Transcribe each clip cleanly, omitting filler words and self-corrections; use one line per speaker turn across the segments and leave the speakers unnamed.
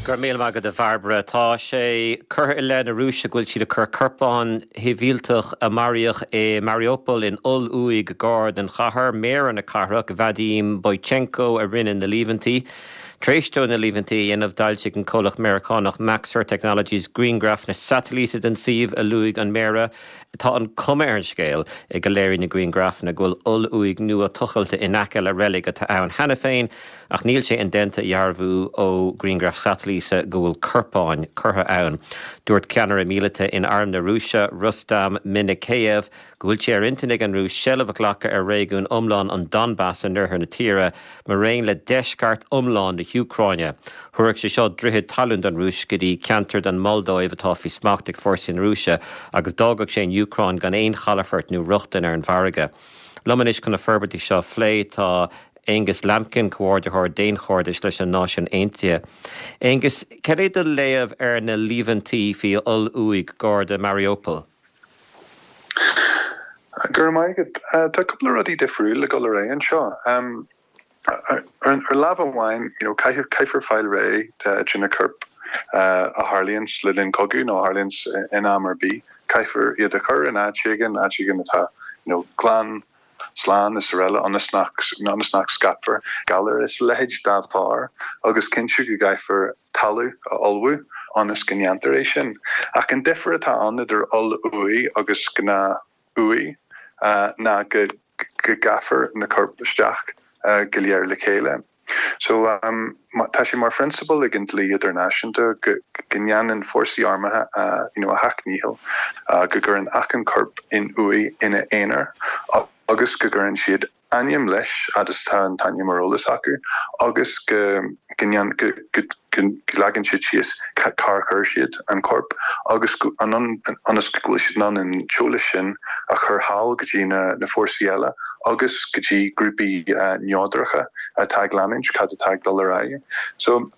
Go raibh míle maith agat a Bhairbre. Tá sé curtha i leith na Rúise go bhfuil siad ag cur corpáin shibhialtach a maraíodh i Mariupol in oll-uaigh gar don chathair. Méara na cathrach, Vadim Boychenko, a rinne na líomhaintí. Tar éis dó na líomhaintí a dhéanamh, d'fhoilsigh an comhlacht Meiriceánach Maxar Technologies grianghrafanna satailíte den suíomh a luaigh an Méara. Tá an cuma ar an scéal go léiríonn na grianghrafanna go bhfuil oll-uaigh nua tochailte in aice le reilig atá ann cheana féin, ach níl sé indéanta a dhearbhú ó ghrianghraif satailíte go bhfuil corpáin curtha ann. Dúirt ceannaire míleata in Arm na Rúise, Rustam Minnekayev, go bhfuil sé ar intinn ag an Rúis seilbh a ghlacadh ar réigiún iomlán an Donbas in oirthear na tíre, maraon le deisceart iomlán na hÚcráine. Thabharfadh sé seo droichead talún don Rúis go dtí ceantar den Mholdóiv atá faoi smacht ag fórsaí na Rúise agus d'fhágfadh sé an Úcráin gan aon chalafort nó rochtain ar an bhfarraige. Liom anois chun na forbairtí seo a phlé tá Angus Lambkin, Comhordaitheoir Daonchairdis leis na Náisiúin Aontaithe. Angus, cad é do léamh ar na líomhaintí faoi oll-uaigh gar do Mariupol?
Go raibh maith agat. Tá cúpla rudaí difriúil ag dul ar aghaidh anseo. Ar lámh amháin, you know, caithfear fáil réidh de na coirp a tharlaíonns le linn cogaidh nó a tharlaíonns in am ar bith. Caithfear iad a chur in áit éigin, áit éigin atá, you know, glan, slán is araile ionas nach, ionas nach scaipfear galair is a leithéid dá bharr agus cinntiú go gcaithfear talamh a ullmhú ionas go ndéantar é sin. Ach an difear atá ann idir oll-uaigh agus gnáth-uaigh ná go gcaithfear na coirp isteach go léir le chéile. So, tá sé mar phrionsabal ag an dlí idirnáisiúnta go ndéanann fórsaí armtha a you know a sheacht ndícheall go gcuireann achan corp in uaigh ina aonar agus go gcuireann siad ainm leis, fhad is atá an t-ainm ar eolas acu, agus go go leagann siad síos cár chuir siad an corp agus ionas go bhfuil siad in ann an t-eolas sin a chur thall go dtí na fórsaí eile agus go dtí grúpaí neodracha atá ag leanúint cad atá ag dul ar aghaidh. So,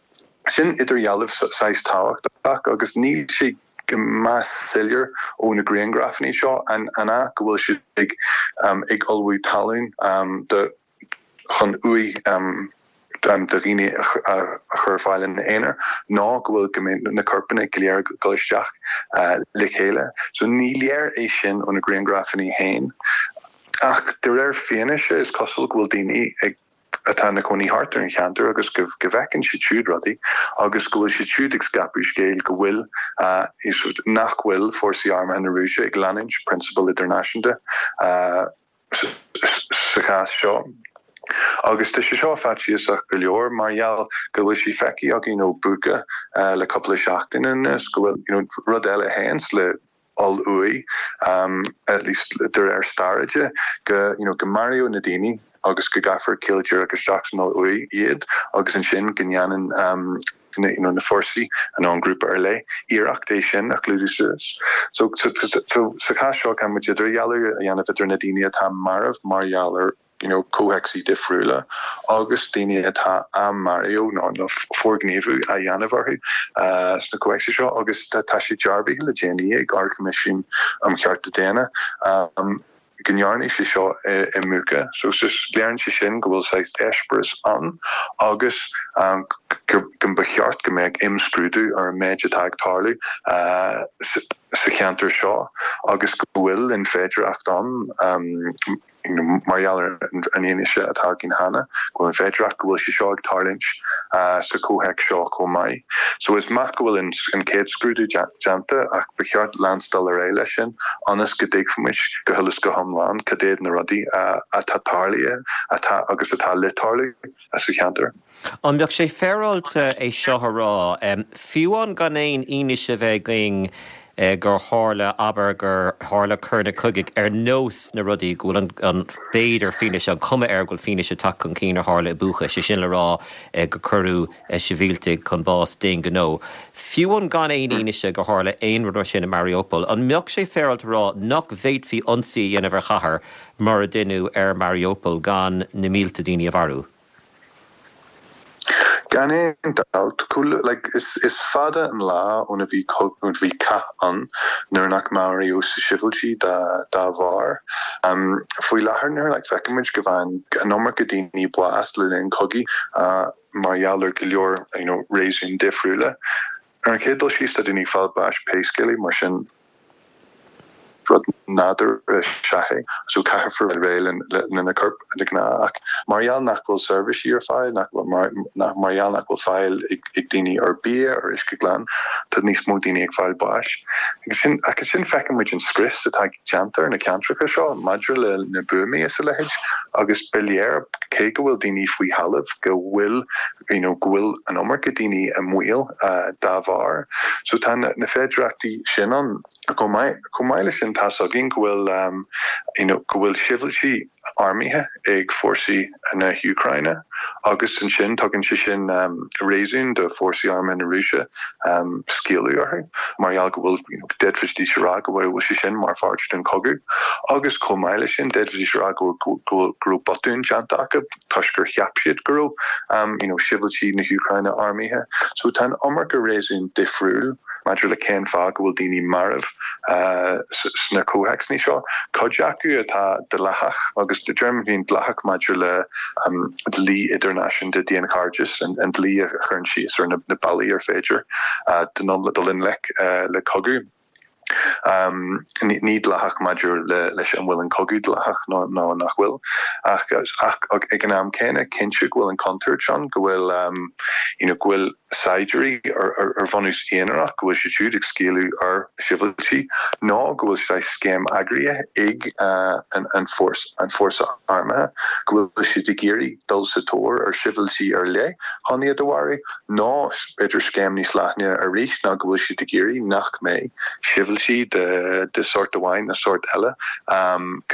sin idirdhealú saghas tábhachtach agus níl sé go maith soiléir ó na grianghrafanna seo an ea go bhfuil siad ag ag ullmhú talún do chun uaigh do dhaoine a chur ar fáil ina aonar nó go bhfuil go mbeidh na corpanna go léir ag dul isteach le chéile. So ní léir é sin ó na grianghrafanna féin ach de réir fianaise is cosúil go bhfuil daoine ag atá ina cónaí thart ar an cheantar agus go bhfeiceann siad siúd rudaí agus go bhfuil siad siúd ag scaipeadh scéil go bhfuil, nach bhfuil fórsaí armtha na Rúise ag leanúint prionsabail idirnáisiúnta sa chás seo. Agus tá sé seo faitíosach go leor mar gheall go bhfuil sé feicthe againn ó Bucha le cúpla seachtain anuas go bhfuil rud eile a théanns le oll-uaigh, at least de réir staire de, go, you know, go maraíodh na daoine agus go gcaithfear caol díreach isteach san oll-uaigh iad agus ansin go ndéanann na, you know, na fórsaí nó an grúpa ar leith iarracht é sin a chlúdú suas. So, so, so, sa chás seo caithfidh muid idirdhealú a dhéanamh idir na daoine atá marbh mar gheall ar you know comhthéacsaí difriúla agus daoine atá á marú nó nó forghníomhú á dhéanamh orthu sna comhthéacsaí seo agus tá sé dearbhaithe le déanaí ag Ard-Choimisiún um Chearta Daonna go ndearnadh sé seo i mBucha. So léiríonn sé sin go bhfuil saghas eispéireas ann agus go mba cheart go mbeadh imscrúdú ar an méid atá ag tarlú sa cheantar seo agus go bhfuil an féidearthacht ann mar gheall ar an fhianaise atá againn cheana, go bhfuil an féidearthacht go bhfuil sé seo ag tarlúint sa chomhthéacs seo chomh maith. So is maith go bhfuil an chéad scrúdú déanta ach ba cheart leanstáil ar aghaidh leis sin ionas go dtuigfimid go huile is go hiomlán cad iad na rudaí atá tarlaithe atá agus atá le tarlú sa cheantar.
An mbeadh sé féaráilte é seo a rá, fiú amháin gan aon fhianaise a bheith againn gur tharla, abair, gur tharla coireanna cogaidh ar nós na rudaí go bhfuil an, b'fhéidir, fianaise, an chuma air go bhfuil fianaise tagtha chun cinn a tharla i Bucha, sé sin le rá gur cuireadh sibhialtaigh chun báis d'aon ghnó. Fiú amháin gan aon fhianaise gur tharla aon rud mar sin i Mariupol, an mbeadh sé féaráilte a rá nach bhféadfaí ionsaí a dhéanamh ar chathair mar a deineadh ar Mariupol gan na mílte daoine a mharú?
Gan aon dabht, like, is fada an lá óna bhí ó bhí cath ann nuair nach maraíodh sibhialtaigh dá bharr. Faoi láthair nuair like feicimid go bhfaigheann an iomarca daoine bás le linn cogaidh mar gheall ar go leor you know réasúin difriúla. Ar an chéad dul síos tá daoine ag fáil báis pé scéal é, mar sin rud nádúrtha is ea é. So caithfear fáil réidh le na coirp de ghnáth ach mar gheall nach bhfuil seirbhísí ar fáil, nach bhfuil mar mar gheall nach bhfuil fáil ag ag daoine ar bia, ar uisce glan, tá níos mó daoine ag fáil báis. Agus sin ach ansin feiceann muid an scrios atá déanta ar na ceantracha seo maidir le na buamaí is a leithéid agus ba léir cé go bhfuil daoine faoi thalamh go bhfuil you know go bhfuil an iomarca daoine i mbaol dá bharr. So tá na féidearthachtaí sin ann. Chomh maith, chomh maith leis sin tá's againn go bhfuil you know go bhfuil sibhialtaigh armtha ag fórsaí na hÚcráine agus ansin tugann sé sin réasún do fórsaí armtha na Rúise scaoileadh orthu mar gheall go bhfuil you know d'fhéadfaidís a rá go bhfuil sé sin mar pháirt den chogadh agus chomh maith leis sin d'fhéadfaidís a rá go go go raibh botún déanta acu toisc gur cheap siad go raibh you know sibhialtaigh na hÚcráine armtha. So tá an iomarca réasún difriúil maidir le cén fáth go bhfuil daoine marbh sna comhthéacsanna seo. Cuid acu atá dleathach agus deirim féin dleathach maidir le dlí idirnáisiúnta daonchairdis, an dlí a chuireann síos ar na bealaí ar féidir dul i ngleic le cogadh. Ní dleathach maidir leis an bhfuil an cogadh dleathach nó nach bhfuil, ach ag an am céanna, cinnte go bhfuil an chontúirt ann go bhfuil you know go bhfuil saighdiúirí ar bhunús aonarach, go bhfuil siad siúd ag scaoileadh ar shibhialtaigh nó go bhfuil saghas scéim eagraithe ag an fórsa armtha, go bhfuil siad ag iarraidh dul sa tóir ar shibhialtaigh ar leith chun iad a mharú. Nó b'fhéidir scéim níos leithne arís ná go bhfuil siad ag iarraidh nach mbeidh sibhialtaigh de sórt amháin nó sórt eile,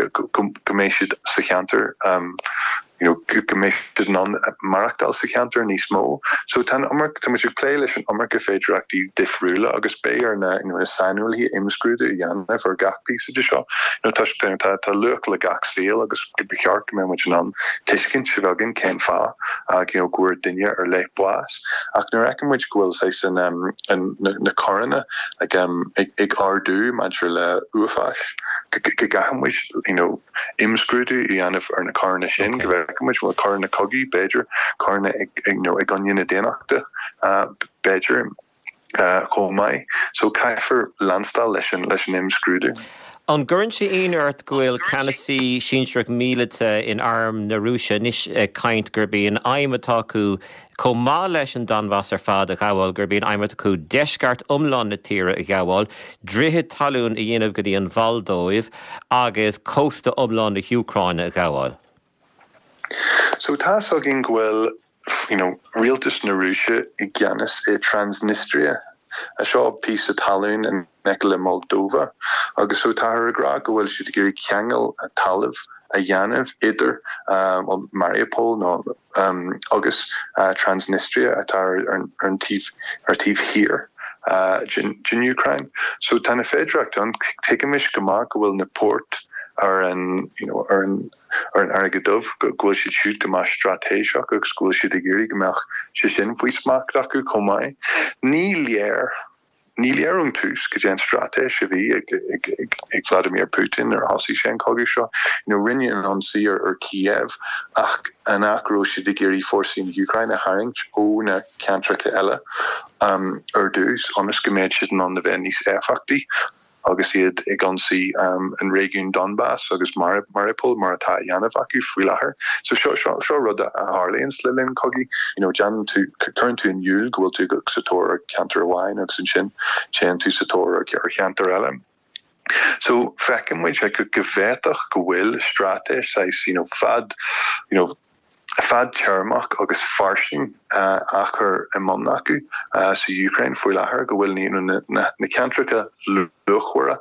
go mbeidh siad sa cheantar, you know, go mbeidh siad in ann maireachtáil sa cheantar níos mó. So tá an iomarca, tá muid ag plé leis an iomarca féidearthachtaí difriúla agus beidh ar na, you know, na saineolaithe imscrúdú a dhéanamh ar gach píosa de seo. You know, toisc tá, tá luach le gach saol agus ba cheart go mbeadh muid in ann tuiscint a bheith againn cén fáth you know go bhfuair duine ar leith bás. Ach nuair a fheiceann muid go bhfuil saghas an an na coireanna like ag ag ardú maidir le uafáis go gcaithfidh muid you know imscrúdú a dhéanamh ar na coireanna sin go bhfeiceann muid bhfuil coireanna cogaidh b'fhéidir coireanna ag you know i gcoinne na daonnachta b'fhéidir. chomh maith. So caithfear leanstáil leis an leis an imscrúdú.
An gcuireann sé ionadh ort go bhfuil ceannasaí sinsearach míleata in arm na Rúise anois ag caint gurb í an aidhm atá acu, chomh maith leis an Donbas ar fad a ghabháil, gurb í an aidhm atá acu deisceart iomlán na tíre a ghabháil, droichead talún a dhéanamh go dtí an Mholdóiv agus cósta iomlán na hÚcráine a ghabháil?
So tá's againn go bhfuil you know rialtas na Rúise i gceannas i Transnistria. Seo píosa talún in aice le Moldova agus so táthar ag rá go bhfuil siad ag iarraidh ceangal talaimh a dhéanamh idir well Mariupol nó agus Transnistria atá ar an taobh ar taobh thiar den den Úcráin. So tá na féidearthachtaí ann. Tuigimis go maith go bhfuil na poirt ar an you know ar an ar an Fharraige Dubh, go bhfuil siad siúd go maith straitéiseach agus go bhfuil siad ag iarraidh go mbeadh sé sin faoi smacht acu chomh maith. Ní léir, ní léir ón tús cad é an straitéis a bhí ag ag Vladimir Putin nuair a thosaigh sé an cogadh seo. You know, rinne an ionsaí ar ar Kiev ach an ea go raibh siad ag iarraidh fórsaí na hÚcráine a tharraingt ó na ceantracha eile ar dtús ionas go mbeadh siad in ann a bheith níos éifeachtaí agus iad ag ionsaí an réigiún Donbas agus Mariupol mar atá á dhéanamh acu faoi láthair. So seo seo seo rud a tharlaíonns le linn cogaidh. You know déanann tú cuireann tú in iúl go bhfuil tú sa tóir ar cheantar amháin agus ansin téann tú sa tóir ar cheantar eile. So feiceann muid go go bhféadfadh go bhfuil straitéis saghas you know fad you know fadtéarmach agus fairsing á chur i mbun acu sa Úcráin faoi láthair, go bhfuil na ceantracha luachmhara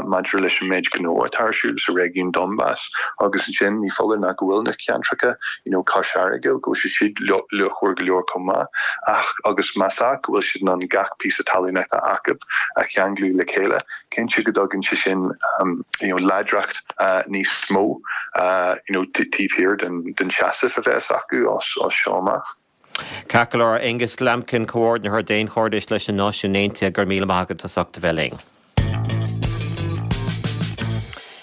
maidir leis an méid gnó atá ar siúl sa réigiún Donbas agus ansin ní foláir ná go bhfuil na ceantracha you know cois fharraige, go bhfuil siad siúd luachmhar go leor chomh maith ach agus más ea go bhfuil siad in ann gach píosa talún atá acu a cheanglú le chéile, cinnte go dtugann sé sin you know láidreacht níos mó you know taobh thiar den seasamh a bheas acu as seo amach.
Ceart go leor, Aonghus Lambkin, Comhordaitheoir Daonchairdis leis na Náisiúin Aontaithe, go raibh míle maith agat as ucht a bheith linn.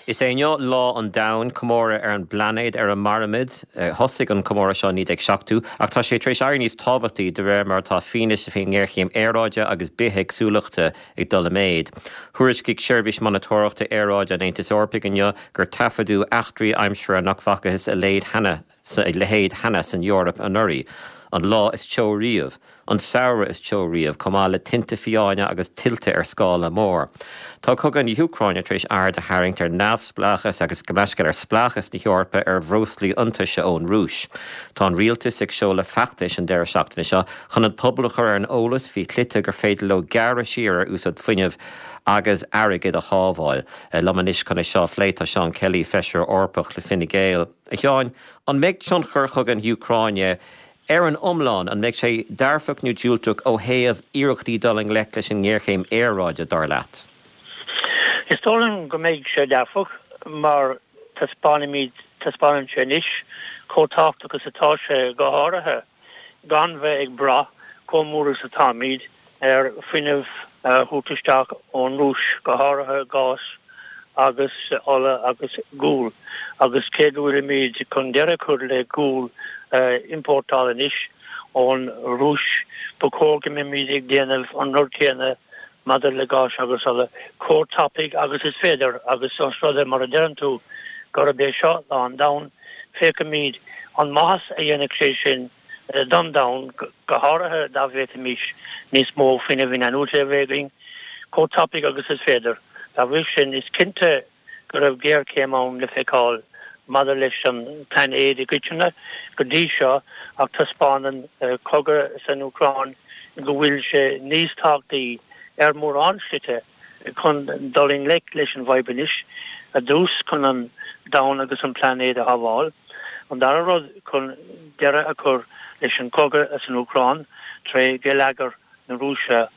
Is é inniu Lá an Domhain, comóradh ar an bplainéad ar a mairimid. Thosaigh an comóradh seo i 1970, ach tá sé tar éis éirí níos tábhachtaí de réir mar atá fianaise faoin ngéarchéim aeráide agus bithéagsúlachta ag dul i méid. Thuairiscigh Seirbhís Monatóireachta Aeráide an Aontais Eorpaigh inniu gur taifeadadh eachtraí aimsire nach bhfacathas a leithéid cheana san Eoraip anuraidh, an lá is teo riamh, an samhradh is teo riamh, chomh maith le tinte fiáine agus tuilte ar scála mór. Tá cogadh na hÚcráine tar éis aird a tharraingt ar neamhspleáchas agus gabh mo leithscéal ar spleáchas na hEorpa ar bhreoslaí iontaise ón Rúis. Tá an rialtas ag seoladh feachtais an deireadh seachtaine seo chun an pobal a chur ar an eolas faoi shlite gur féidir leo gearradh siar ar úsáid fuinnimh agus airgead a shábháil. Liom anois chun é seo a phlé tá Seán Kelly, Feisire Eorpach le Fine Gael. A Sheáin, an mbeidh tionchar chogadh na hÚcráine ar an iomlán, an mbeidh sé dearfach nó diúltach ó thaobh iarrachtaí dul i ngleic leis an ngéarchéim aeráide, dar leat?
Is dóigh liom go mbeidh sé dearfach mar taispeánfaimid, taispeánann sé anois chomh tábhachtach is atá sé, go háirithe gan bheith ag brath chomh mór is atáimid ar fuinneamh a thabhairt isteach ón Rúis, go háirithe gás agus ola agus gual. Agus cé go bhfuilimid chun deireadh a chur le gual a iompórtáil anois ón Rúis, ba chóir go mbeimid ag déanamh an rud céanna maidir le gás agus ola, chomh tapaidh agus is féidir. Agus os rud é, mar a deireann tú, gurb é seo Lá an Domhain, féachfaimid an maitheas a dhéanfaidh sé sin don domhan, go háirithe dá bhféadfaimis níos mó fuinnimh inathnuaite a bheith againn, chomh tapaidh agus is féidir. Dá bhrí sin, is cinnte go raibh géarchéim ann le feiceáil maidir leis an bplainéad i gcoitinne go dtí seo ach taispeánann cogadh san Úcráin go bhfuil sé níos tábhachtaí ar mhórán slite chun dul i ngleic leis an bhfadhb anois, ar dtús chun an domhan agus an plainéad a shábháil, an dara rud chun deireadh a chur leis an gcogadh san Úcráin tré gheilleagar na Rúise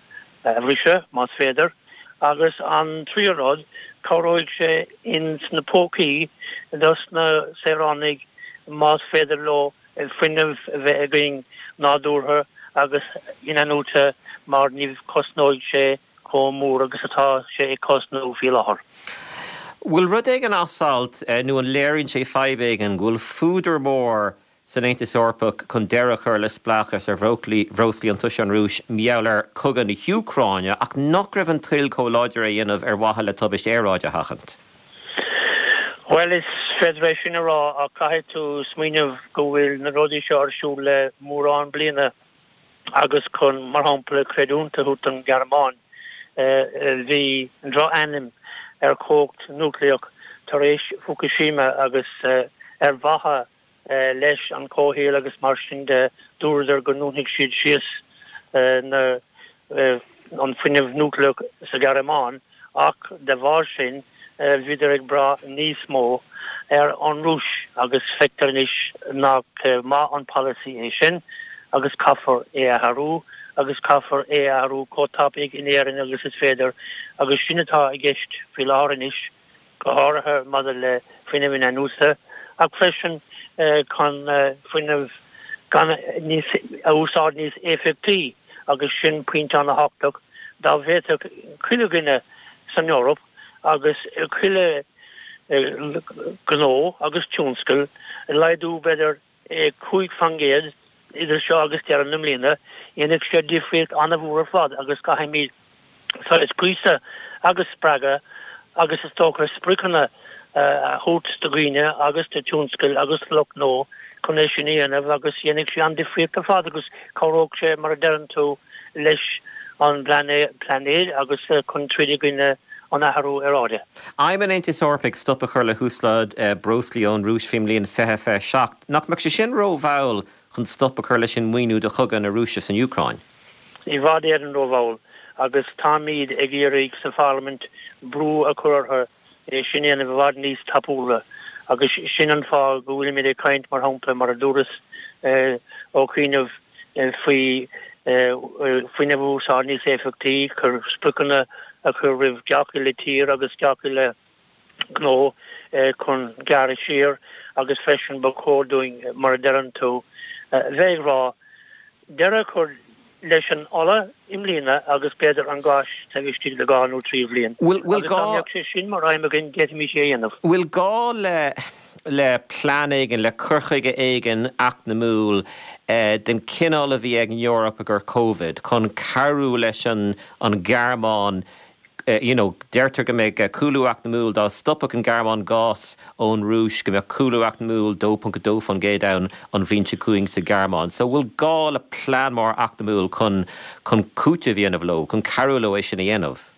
a bhriseadh, más féidir, agus an tríú rud, cabhróidh sé ins na pócaí dos na saoránaigh más féidir leo fuinneamh a bheith againn nádúrtha agus inathnuaite mar ní chosnóidh sé chomh mór agus atá sé ag cosnú faoi láthair.
Bhfuil rud éigin as alt nó an léiríonn sé fadhb éigin go bhfuil fuadar mór san Aontas Eorpach chun deireadh a chur le spleáchas ar bhreoslaí iontaise ón Rúis mar gheall ar chogadh na hÚcráine ach nach raibh an toil chomh láidir é a dhéanamh ar mhaithe le tubaist aeráide a sheachaint?
Bhuel, is féidir é sin a rá ach caithfidh tú smaoineamh go bhfuil na rudaí seo ar siúl le mórán bliana. agus chun, mar shampla, creidiúint a thabhairt don Ghearmáin, bhí droch-ainm ar chumhacht núicléach tar éis Fukushima agus ar mhaithe leis an chomhshaol agus mar sin de, dúradar go ndúnfaidh siad síos na an fuinneamh núicléach sa Ghearmáin. Ach de bharr sin, bhíodar ag brath níos mó ar an Rúis agus feictear anois nach maith an polasaí é sin agus caithfear é a athrú agus caithfear é a athrú chomh tapaidh in Éirinn agus is féidir agus sin atá i gceist faoi láthair anois. go háirithe maidir le fuinneamh inathnuaite, ach freisin chun fuinneamh gan níos a úsáid níos éifeachtaí, agus sin pointe an-thábhachtach, dá bhféadfadh chuile dhuine san Eoraip agus chuile ghnó agus tionscal laghdú b'fhéidir 5% idir seo agus deireadh na mbliana, dhéanfadh sé difríocht an-mhór ar fad agus caithfimid saghas gríosadh agus spreagadh agus is dócha spriocanna a thabhairt do dhaoine agus do tionscail agus do lucht gnó chun é sin a dhéanamh agus dhéanfadh sé an-difríocht ar fad agus cabhródh sé, mar a deireann tú, leis an bplainéad agus chun troid i gcoinne an athrú aeráide.
Aidhm an Aontais Eorpaigh stop a chur le húsáid breoslaí ón Rúis faoin mbliain 2027. Nach mbeadh sé sin rómhall chun stop a chur leis an maoiniú do chogadh na Rúise san Úcráin?
I bhfad Éireann rómhall agus táimid ag iarraidh sa Pharlaimint brú a chur orthu é sin a dhéanamh i bhfad níos tapúla agus sin an fáth go bhfuilimid ag caint, mar shampla, mar a dúras ó chianaibh, faoi fuinneamh a úsáid níos éifeachtaí, chun spriocanna a chur roimh gach uile tír agus gach uile ghnó chun gearradh siar agus freisin ba chóir dúinn, mar a deireann tú, bheith ag rá. deireadh a chur leis an ola i mbliana agus b'fhéidir an gás taobh istigh de dha nó tri bhliain.
Agus
dá mbeadh sé sin mar aidhm againn, d'fhéadfaimis é a dhéanamh.
Bhfuil gá le le plean éigin, le cur chuige éigin eacnamúil den chineál a bhí ag an Eoraip i gcomhair Covid chun cabhrú leis an an Ghearmáin you know, deirtear go mbeidh cúlú eacnamúil dá stopfadh an Ghearmáin gás ón Rúis, go mbeadh cúlú eacnamúil 2.2% ann an bhliain seo chugainn sa Ghearmáin. So bhfuil gá le plean mór eacnamúil chun chun cúiteamh a dhéanamh leo, chun cabhrú leo é sin a dhéanamh?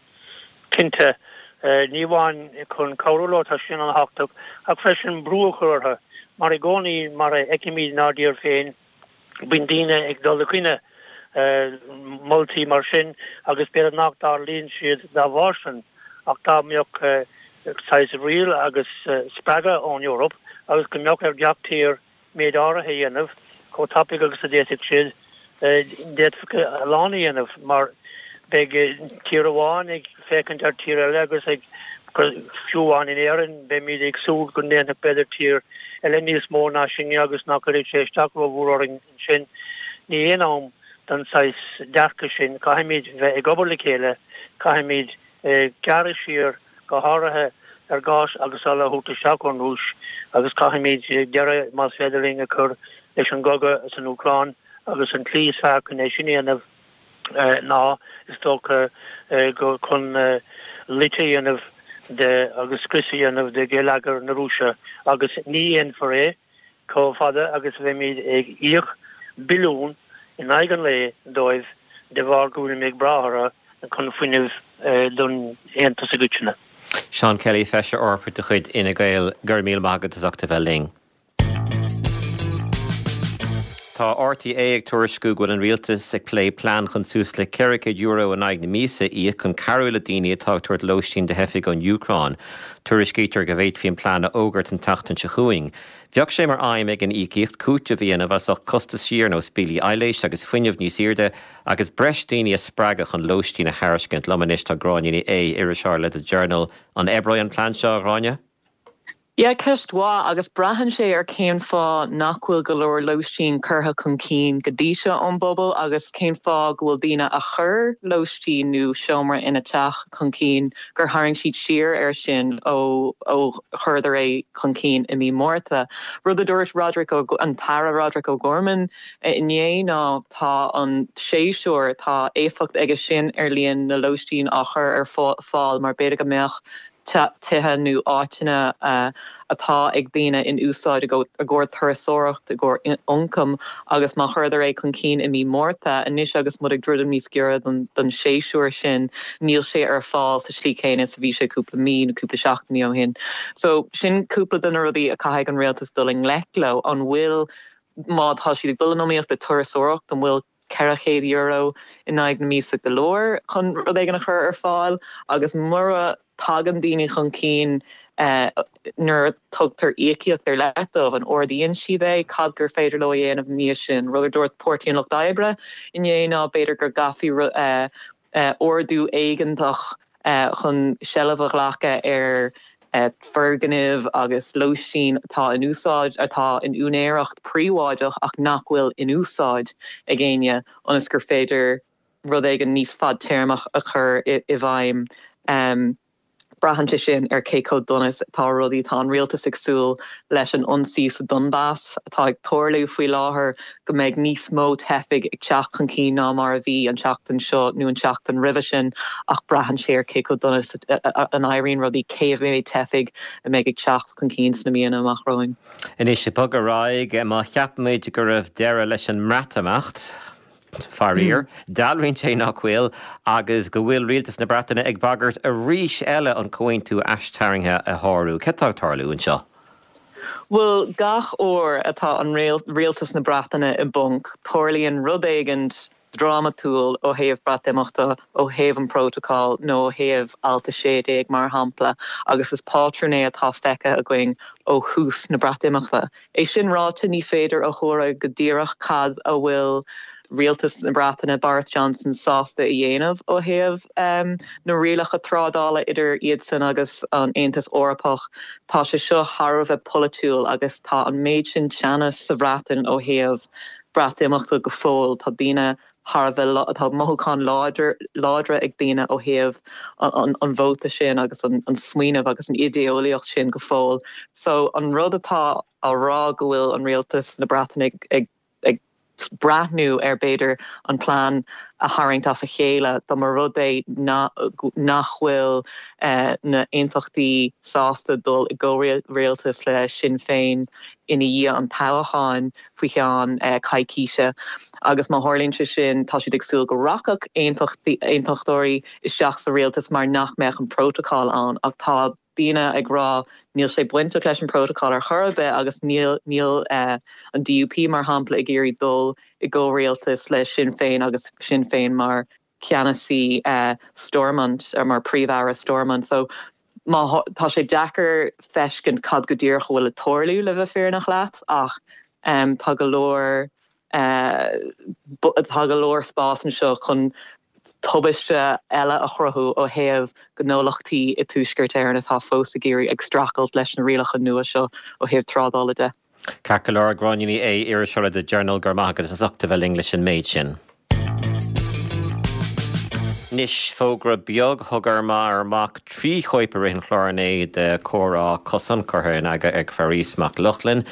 Cinnte. Ní amháin chun cabhrú leo, tá sin an-thábhachtach, ach freisin brú a chur orthu. Mar i gcónaí, mar a fheicimid inár dtír féin, Bíonn daoine ag dul i gcoinne moltaí mar sin agus b'fhéidir nach dtarlaíonn siad dá bharr sin ach dá mbeadh saghas riail agus spreagadh ón Eoraip agus go mbeadh ar gach tír méid áirithe a dhéanamh chomh tapaidh agus a d'fhéadfadh siad, d'fhéadfadh a lán a dhéanamh mar beidh tír amháin ag féachaint ar tír eile agus ag fiú amháin in Éirinn beimid ag súil go ndéanfadh b'fhéidir tír eile níos mó ná sinne agus nach gcuirfidh sé isteach rómhór orainn ansin. Ní aon am don saghas dearcadh sin. Caithfimid bheith ag obair le chéile, caithfimid gearradh siar go háirithe ar ghás agus ola a thabhairt isteach ón Rúis agus caithfimid deireadh más féidir linn a chur leis an gcogadh san Úcráin agus an tslí is fearr chun é sin a dhéanamh ná, is dócha, chun loit a dhéanamh de agus scrios a dhéanamh de gheilleagar na Rúise agus ní dhéanfar é chomh fada agus a bheimid ag íoc billiún in aghaidh an lae dóibh de bharr go bhfuilimid ag brath orthu chun fuinneamh don Aontas i gcoitinne.
Seán Kelly, Feisire Eorpach de chuid Fhine Gael, go raibh míle maith agat as ucht a bheith linn. Tá RTÉ ag tuairisciú go bhfuil an rialtas ag plé plean chun suas le €400 in aghaidh na míosa a íoc chun cabhrú le daoine atá ag tabhairt lóistín do theifigh ón Úcráin. Tuairiscítear go bhféadfaí an plean a fhógairt an tseachtain seo chugainn. Bheadh sé mar aidhm ag an íocaíocht cúiteamh a dhéanamh as ucht costaisí ar nós billí aibhléise agus fuinnimh níos airde agus breis daoine a spreagadh chun lóistín a thairiscint. Liom anois tá Gráinne Ní Aodha, iriseoir le The Journal. An oibreoidh an plean seo, a Ghráinne?
Yeah, ceist mhaith, agus braitheann sé ar cén fáth nach bhfuil go leor lóistín curtha chun cinn go dtí seo ón bpobal agus cén fáth go bhfuil daoine a chuir lóistín nó seomra ina dteach chun cinn gur tharraing siad siar air sin ó ó chuireadar é chun cinn i mí Márta. Rud a dúirt Roderic an tAire Roderic O'Gorman inné ná tá an séasúr, tá éifeacht aige sin ar líon na lóistín á chur ar fáil mar b'fhéidir go mbeadh tithe nó áiteanna atá ag daoine in úsáid i gcomhair turasóireacht, i gcomhair ioncaim agus má chuireadar é chun cinn i mí Márta, anois agus muid ag druidim níos giorra don séasúr sin, níl sé ar fáil sa slí chéanna is a bhí sé cúpla mí nó cúpla seachtainí ó shin. So sin cúpla de na rudaí a caithfidh an rialtas dul i ngleic leo. An bhfuil, má tá siad ag dul in iomaíocht le turasóireacht, an bhfuil €400 in aghaidh na míosa go leor chun rud éigin a chur ar fáil agus mura dtagann daoine chun cinn nuair a tugtar íocaíocht ar leith dóibh, an ardaíonn siad é? Cad gur féidir leo a dhéanamh ina dhiaidh sin? Rud a dúirt Páirtí an Lucht Oibre inné ná b'fhéidir go gcaithfí ordú éigeantach chun seilbh a ghlacadh ar foirgnimh agus lóistín atá in úsáid, atá in úinéireacht príobháideach ach nach bhfuil in úsáid ag éinne ionas gur féidir rud éigin níos fadtéarmach a chur i bhfeidhm. Braitheann sé sin ar cé chomh dona is atá rudaí. Tá an rialtas ag súil leis an ionsaí sa Donbas atá ag tarlú faoi láthair go mbeidh níos mó teifigh ag teacht chun cinn ná mar a bhí an tseachtain seo nó an tseachtain roimhe sin ach braitheann sé ar cé chomh dona is a n-éiríonn rudaí, cé mhéad teifigh a mbeidh ag teacht chun cinn sna míonna amach romhainn.
Anois, ag bogadh ar aghaidh, má cheap muid go raibh deireadh leis an mBreatimeacht, faraor, dealraíonn sé nach bhfuil agus go bhfuil rialtas na Breataine ag bagairt arís eile an comhaontú aistarraingthe a shárú. Cad tá ag tarlú anseo?
Bhuel, gach uair atá an rialtas na Breataine i bponc, tarlaíonn rud éigint drámatúil ó thaobh Breatimeachta, ó thaobh an prótacal nó ó thaobh Alt 16 mar shampla, agus is pátrún é atá feicthe againn ó thús na Breatimeachta. É sin ráite, ní féidir a thuaradh go díreach cad a bhfuil rialtas na Breataine, Boris Johnson, sásta a dhéanamh ó thaobh na rialacha trádála idir iadsan agus an Aontas Eorpach. Tá sé seo thar a bheith polaitiúil agus tá an méid sin teannas sa Bhreatain ó thaobh. Breatimeachta go fóill. Tá daoine thar a bheith, tá mothúcháin láidre ag daoine ó thaobh an vóta sin agus an smaoineamh agus an idé-eolaíocht sin go fóill. So an rud atá á rá go bhfuil an rialtas na Breataine ag ag breathnú ar b'fhéidir an plean a tharraingt as a chéile dá mba rud é nach bhfuil na hAontachtaí sásta dul i gcomhrialtas le Sinn Féin ina dhiaidh an toghcháin faoi cheann coicíse agus má tharlaíonn sé sin tá siad ag súil go rachadh aontachtóirí isteach sa rialtas mar nach mbeadh an prótacal ann ach tá daoine ag rá níl sé bainteach leis an bprótacal ar chor ar bith agus níl níl an DUP mar shampla ag iarraidh dul i gcomhrialtas le Sinn Féin agus Sinn Féin mar cheannasaí Stormont mar Príomh-Aire Stormont so má tá sé deacair feiscint cad go díreach a bhfuil ag tarlú le bheith fírinneach leat ach tá go leor tá go leor spás anseo chun tubaiste eile a chruthú ó thaobh gnólachtaí i dTuaisceart Éireann atá fós ag iarraidh ag streachailt leis na rialacha nua seo ó thaobh trádála de.
Ceart go leor, Gráinne Ní Aodha, iriseoir le The Journal, go raibh maith agat as ucht a bheith linn leis an méid sin. Anois, fógra beag, thugamar amach 3 chóip i rith an chláir inné de Comhrá Cosán curtha in eagar ag Faris Mac Lochlainn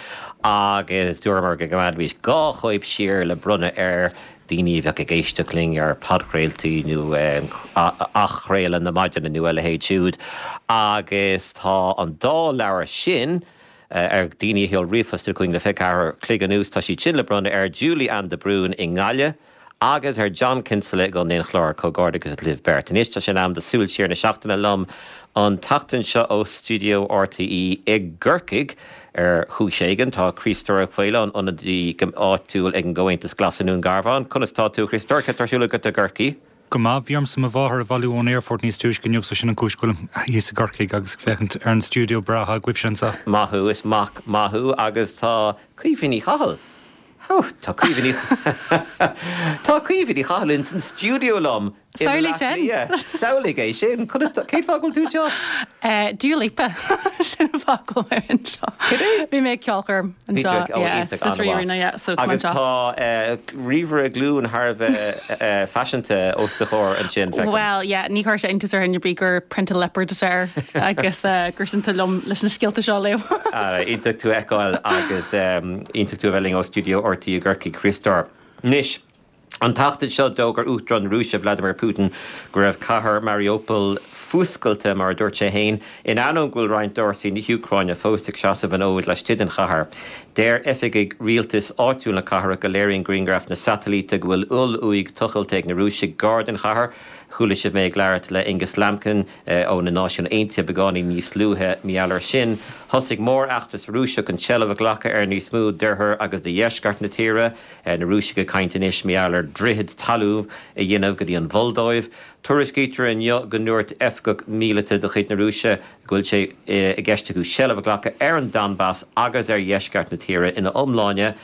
agus dúramar go gcoimeádfaimis 2 chóip siar le bronnadh ar daoine a bheadh ag éisteacht linn ar podchraoltaí nó athchraoladh na maidine nó a leithéid siúd agus tá an dá leabhar sin ar daoine a sheol ríomhphost chugainn le 24 chloig anuas, tá siad sin le bronnadh ar Julie Ann de Brún i nGaillimh agus ar John Kinsella i gContae an Chláir. Comhghairdeachas libh beirt. Anois tá sé in am do Súil Siar na Seachtaine liom an tseachtain seo ó stiúideo RTÉ i gCorcaigh. Ar chúis éigin, tá Críostóir Ó Faoláin, ionadaí áitiúil ag an gComhaontas Glas i nDún Garbhán. Conas tá tú, a Chríostóir? Cad tá ar siúl agat i gCorcaigh?
Go maith. Bhí ormsa mo mháthair a bhailiú ón aerfort níos túisce inniu so sin an chúis go bhfuilim thíos i gCorcaigh agus ag féachaint ar an stiúideo breá atá agaibhse anseo.
Maith thú, is mac maith thú agus tá Caoimhe Ní Chathail, oh, tá Caoimhe Ní, tá Caoimhe Ní Chathail ins an stiúideo liom
i
mBleá Cliath. Samhlaigh é sin! Conas tá, cén fáth go bhfuil tú
anseo? Dua Lipa, sin an fáth go bhfuil mé anseo.
Cad é?
Bhí mé ag ceolchoirm anseo, yeah, sa 3 Arena, yeah, so tá mé
Agus
anseo.
tá ríomhaire glúine thar a bheith faiseanta os do chomhair ansin, feicim.
Bhuel, yeah, ní chuirfeadh sé iontas ar dhuine ar bith gur prionta liopard atá air agus gur sin atá liom leis na scéalta seo a léamh.
Iontach tú a fheiceáil agus iontach tú a bheith linn ó stiúideo RTÉ i gCorcaigh, Críostóir. Anois. An tseachtain seo, d'fhógair Uachtarán na Rúise, Vladimir Putin, go raibh cathair Mariupol fuascailte, mar a dúirt sé féin, in ainneoin go bhfuil roinnt d'fhórsaí na hÚcráine fós ag seasamh an fhóid laistigh den chathair. Deir oifigigh rialtais áitiúil na cathrach go léiríonn grianghraif na satailíte go bhfuil oll-uaigh tochailte ag na Rúisigh gar don chathair. Chuala sibh mé ag labhairt le Angus Lambkin ó na Náisiúin Aontaithe beagáinín níos luaithe mar gheall air sin. Thosaigh mórfheachtas Rúiseach chun seilbh a ghlacadh ar níos mó d'oirthear agus de dheisceart na tíre. Na Rúisigh ag caint anois mar gheall ar droichead talún a dhéanamh go dtí an Mholdóiv. Tuairiscítear inniu go ndúirt oifigeach míleata de chuid na Rúise go bhfuil sé i gceist acu seilbh a ghlacadh ar an Donbas agus ar dheisceart na tíre ina iomláine.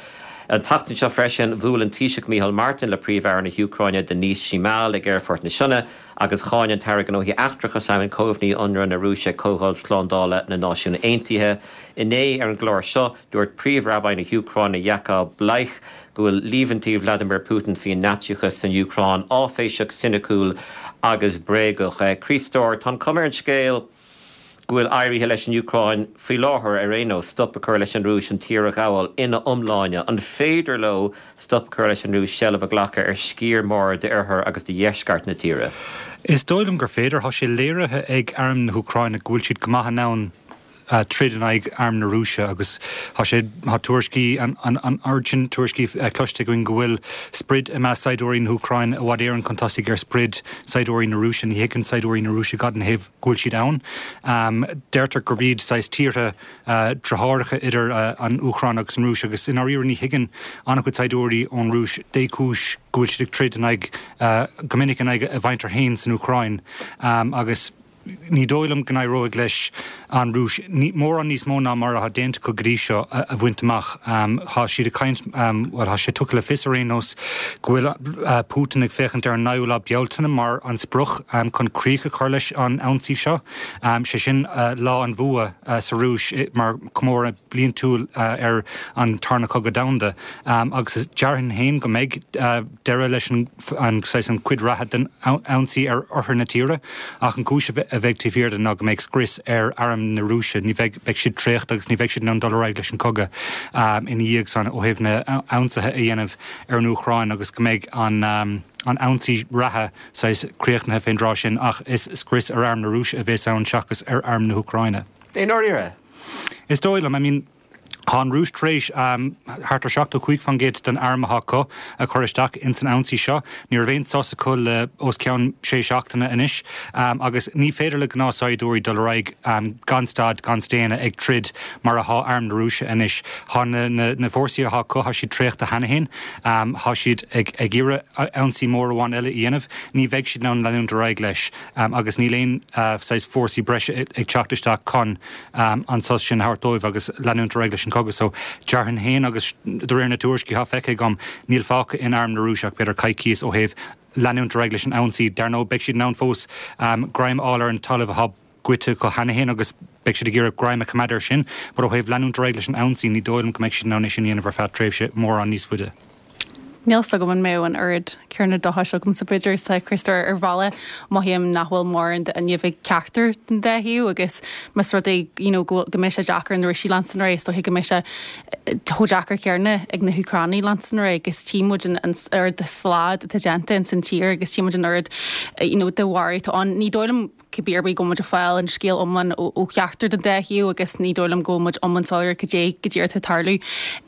An tseachtain seo freisin, bhuail an Taoiseach Micheál Martin le Príomh-Aire na hÚcráine Denys Shmyhal ag Aerfort na Sionna agus cháin an tAire Gnóthaí Eachtracha Simon Coveney ionradh na Rúise ag Comhdháil Slándála na Náisiún Aontaithe inné. Ar an gclár seo, Dúirt Príomh-Rabbi na hÚcráine Yakov Bleich go bhfuil líomhaintí Vladimir Putin faoin Naitsíochas san Úcráin áiféiseach, soiniciúil agus bréagach. Críostóir, tá an chuma ar an scéal go bhfuil éirithe leis an Úcráin faoi láthair, ar aon nós, stop a chur leis an Rúis an tír a ghabháil ina iomláine. An féidir leo stop a chur leis an Rúis seilbh a ghlacadh ar sciar mór d'oirthear agus de dheisceart na tíre?
Is dóigh liom gur féidir. Tá sé léirithe ag arm na hÚcráine go bhfuil siad go maith in ann troid in aghaidh arm na Rúise agus tá sé, tá tuairiscí, an oiread sin tuairiscí cloiste againn go bhfuil sprid i measc saighdiúirí na hÚcráine i bhfad Éireann chun tosaigh ar sprid saighdiúirí na Rúise. Ní thuigeann saighdiúirí na Rúise cad ina thaobh go bhfuil siad ann. Deirtear gurb iad saghas tíortha deartháireacha idir an Úcráin agus an Rúis agus i ndáiríre ní thuigeann an-chuid saighdiúirí ón Rúis dé cúis go bhfuil siad ag troid in aghaidh, go minic in aghaidh a mhuintir féin san Úcráin agus. Ní dóigh liom go n-éireoidh leis an Rúis mórán níos mó ná mar atá déanta acu go dtí seo a bhaint amach. Tá siad ag caint, bhuel, tá sé tugtha le fios ar aon nós go bhfuil Putin ag féachaint ar an 9ú lá Bealtaine mar an sprioc chun críoch a chur leis an ionsaí seo, sé sin Lá an Bhua sa Rúis mar chomóradh bliantúil ar an Tarna Cogadh Domhanda. Agus déarfainn féin go mbeidh deireadh leis an saghas an chuid reatha den ionsaí ar oirthear na tíre ach an chúis a bheidh taobh thiar de ná go mbeidh scrios ar arm na Rúise, ní bheidh, beidh siad traochta agus ní bheidh siad in ann dul ar aghaidh leis an chogadh ina dhiaidh san ó thaobh na hionsaithe a dhéanamh ar an Úcráin agus go mbeidh an an ionsaí reatha saghas críochnaithe fén dtráth sin ach is scrios ar arm na Rúise a bhéas ann seachas ar arm na hÚcráine.
I ndáiríre?
Is dóigh liom. I mean. Tá an Rúis tar éis thart ar 75% den arm atá acu a chur isteach ins an ionsaí seo. Ní raibh aon sos acu le os cionn sé seachtaine anois agus ní féidir le gnáthshaighdiúirí dul ar aghaidh gan stad gan staonadh ag troid mar atá arm na Rúise anois. Tá na fórsaí atá acu, tá siad traochta cheana féin. Tá siad ag iarraidh ionsaí mór amháin eile a dhéanamh. Ní bheidh siad in ann leanúint ar aghaidh leis agus níl aon saghas fórsaí breise ag teacht isteach chun an sos sin a thabhairt dóibh agus leanúint ar aghaidh leis an chogadh. So, déarfainn féin agus de réir na tuairiscí atá feicthe agam, níl fágtha in arm na Rúise ach b'fhéidir coicíos ó thaobh leanúint ar aghaidh leis an ionsaí. Dar ndóigh, beidh siad in ann fós greim a fháil ar an talamh atá goidte acu cheana féin agus beidh siad ag iarraidh greim a choimeád air sin. But ó thaobh leanúint ar aghaidh leis an ionsaí, ní dóigh liom go mbeidh siad in ann é sin a dhéanamh ar feadh tréimhse mórán níos faide.
Níl 's agam an mbeadh an oiread céanna dóchais agamsa b'fhéidir is atá Críostóir ar bhealach mothaím nach bhfuil mórán d'fhuinneamh ag ceachtar den dá thaobh agus más rud é you know go go mbeidh sé deacair ar na Rúisigh leanstan ar aghaidh is dóiche go mbeidh sé chomh deacair céanna ag na hÚcránaigh leanstan ar aghaidh agus tchí muid an an oiread de slad atá déanta ins an tír agus tchí muid an oiread you know de mharú atá ann. Ní dóigh liom cibé ar bith go bhfuil muid ag fáil an scéal iomlán ó cheachtar den dá thaobh agus ní dóigh liom go bhfuil muid iomlán soiléir cad é go díreach atá ag tarlú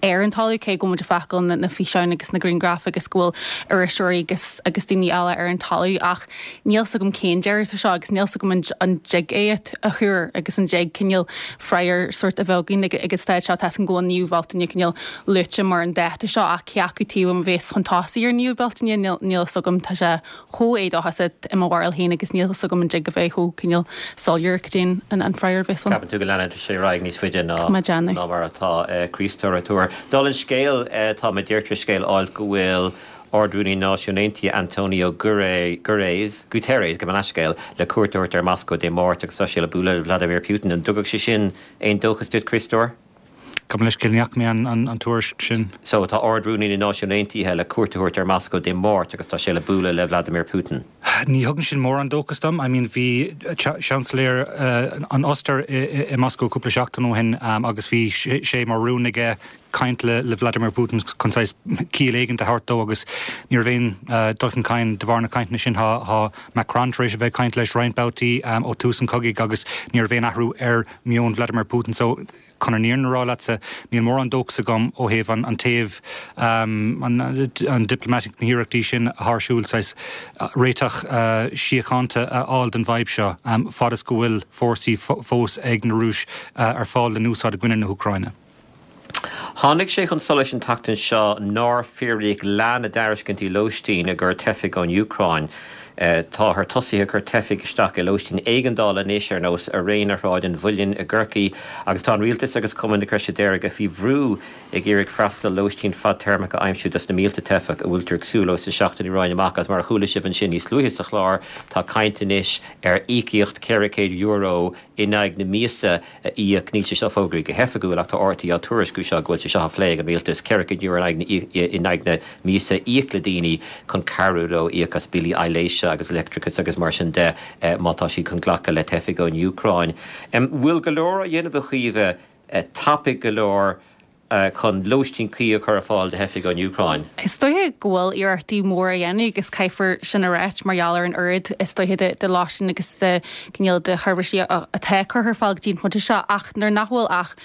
ar an talamh, cé go bhfuil muid ag feiceáil na físeáin agus na grianghraif agus go bhfuil iriseoirí agus agus daoine eile ar an talamh ach níl 's agam cén deireadh atá seo agus níl 's agam an dtig é a thuar agus an dtig cineál freagra sórt a bheith againn ag an staid seo. Tá 's agam go bhfuil an 9ú Bealtaine cineál luaite mar an dáta seo ach cé acu taobh a bheas chun tosaigh ar an 9ú Bealtaine níl 'fhios agam. Tá sé chomh éadóchasach i mo bharúil féin agus níl 'fhios agam an dtig a bheith chomh cineál soiléir cad é an freagra a bheas ann.
Ceapann tú go leanann sé ar aghaidh níos faide ná mar atá Críostóir ag tuar. Dála an scéil, tá mé díreach tar éis scéal a fháil go bhfuil Ard-Rúnaí na Náisiún Aontaithe Antonio Guterres, gabh mo leithscéal, le cuairt a thabhairt ar Moscó Dé Máirt agus tá sé le bualadh le Vladimir Putin. An dtugadh sé sin aon dóchas duit, Críostóir?
Gabh mo leithscéal, ní fhaca mé an tuairisc sin.
So, tá Ard-Rúnaí na Náisiún Aontaithe le cuairt a thabhairt ar Moscó Dé Máirt agus tá sé le bualadh le Vladimir Putin.
Ní thugann sin mórán dóchas dom. I mean, bhí Seansailéir an Ostair i Moscó cúpla seachtain ó shin agus bhí sé mar rún aige caint le Vladimir Putin chun saghas ciall éigin a thabhairt dó agus ní raibh aon dul chun cinn de bharr na cainteanna sin. Tá Macron tar éis a bheith ag caint leis roinnt babhtaí ó tús an chogaidh agus ní raibh aon athrú ar meon Vladimir Putin so chun an fhírinne a rá leatsa, níl mórán dóchas agam ó thaobh an taobh an diplomatic na hiarrachtaí sin atá ar siúl saghas réiteach síochánta a fháil don bhfadhb seo fad is go bhfuil fórsaí fós ag na Rúis ar fáil le n-úsáid i gcoinne na hÚcráine.
Tháinig sé chun solais an tseachtain seo nár fíoraíodh leath na dtairiscintí lóistín i gcomhair teifigh ón Úcráin. Táthar tosaithe ag cur teifigh isteach i lóistín éigeandála anois, ar nós Airéine Shráid an Mhuilinn i gCorcaigh, agus tá an rialtas agus Cumann na Croise Deirge faoi bhrú ag iarraidh freastal lóistín fadtéarmach a aimsiú dos na mílte teifeach a bhfuiltear ag súil leo sna seachtainí romhainn amach. Agus mar a chuala sibh ansin níos luaithe sa chlár, tá caint anois ar íocaíocht €400 in aghaidh na míosa a íoc. Níl sé seo fógraithe go hoifigiúil ach tá RTÉ á tuairisciú seo go bhfuil sé seo á phlé ag an rialtas, €400 in aghaidh na míosa a íoc le daoine chun cabhrú leo íoc as billí aibhléise agus leictreachais agus mar sin de má tá siad chun glacadh le teifigh ón Úcráin. Bhfuil go leor á dhéanamh a Chaoimhe, tapaidh go leor chun lóistín cuí a chur ar fáil do theifigh ón Úcráin.
Is dóiche go bhfuil iarrachtaí móra á dhéanamh agus caithfear sin a ráit mar gheall ar an oiread is dóiche de lóistín agus de cineál de sheirbhísí atá curtha ar fáil go dtí an pointe seo ach nuair nach bhfuil ach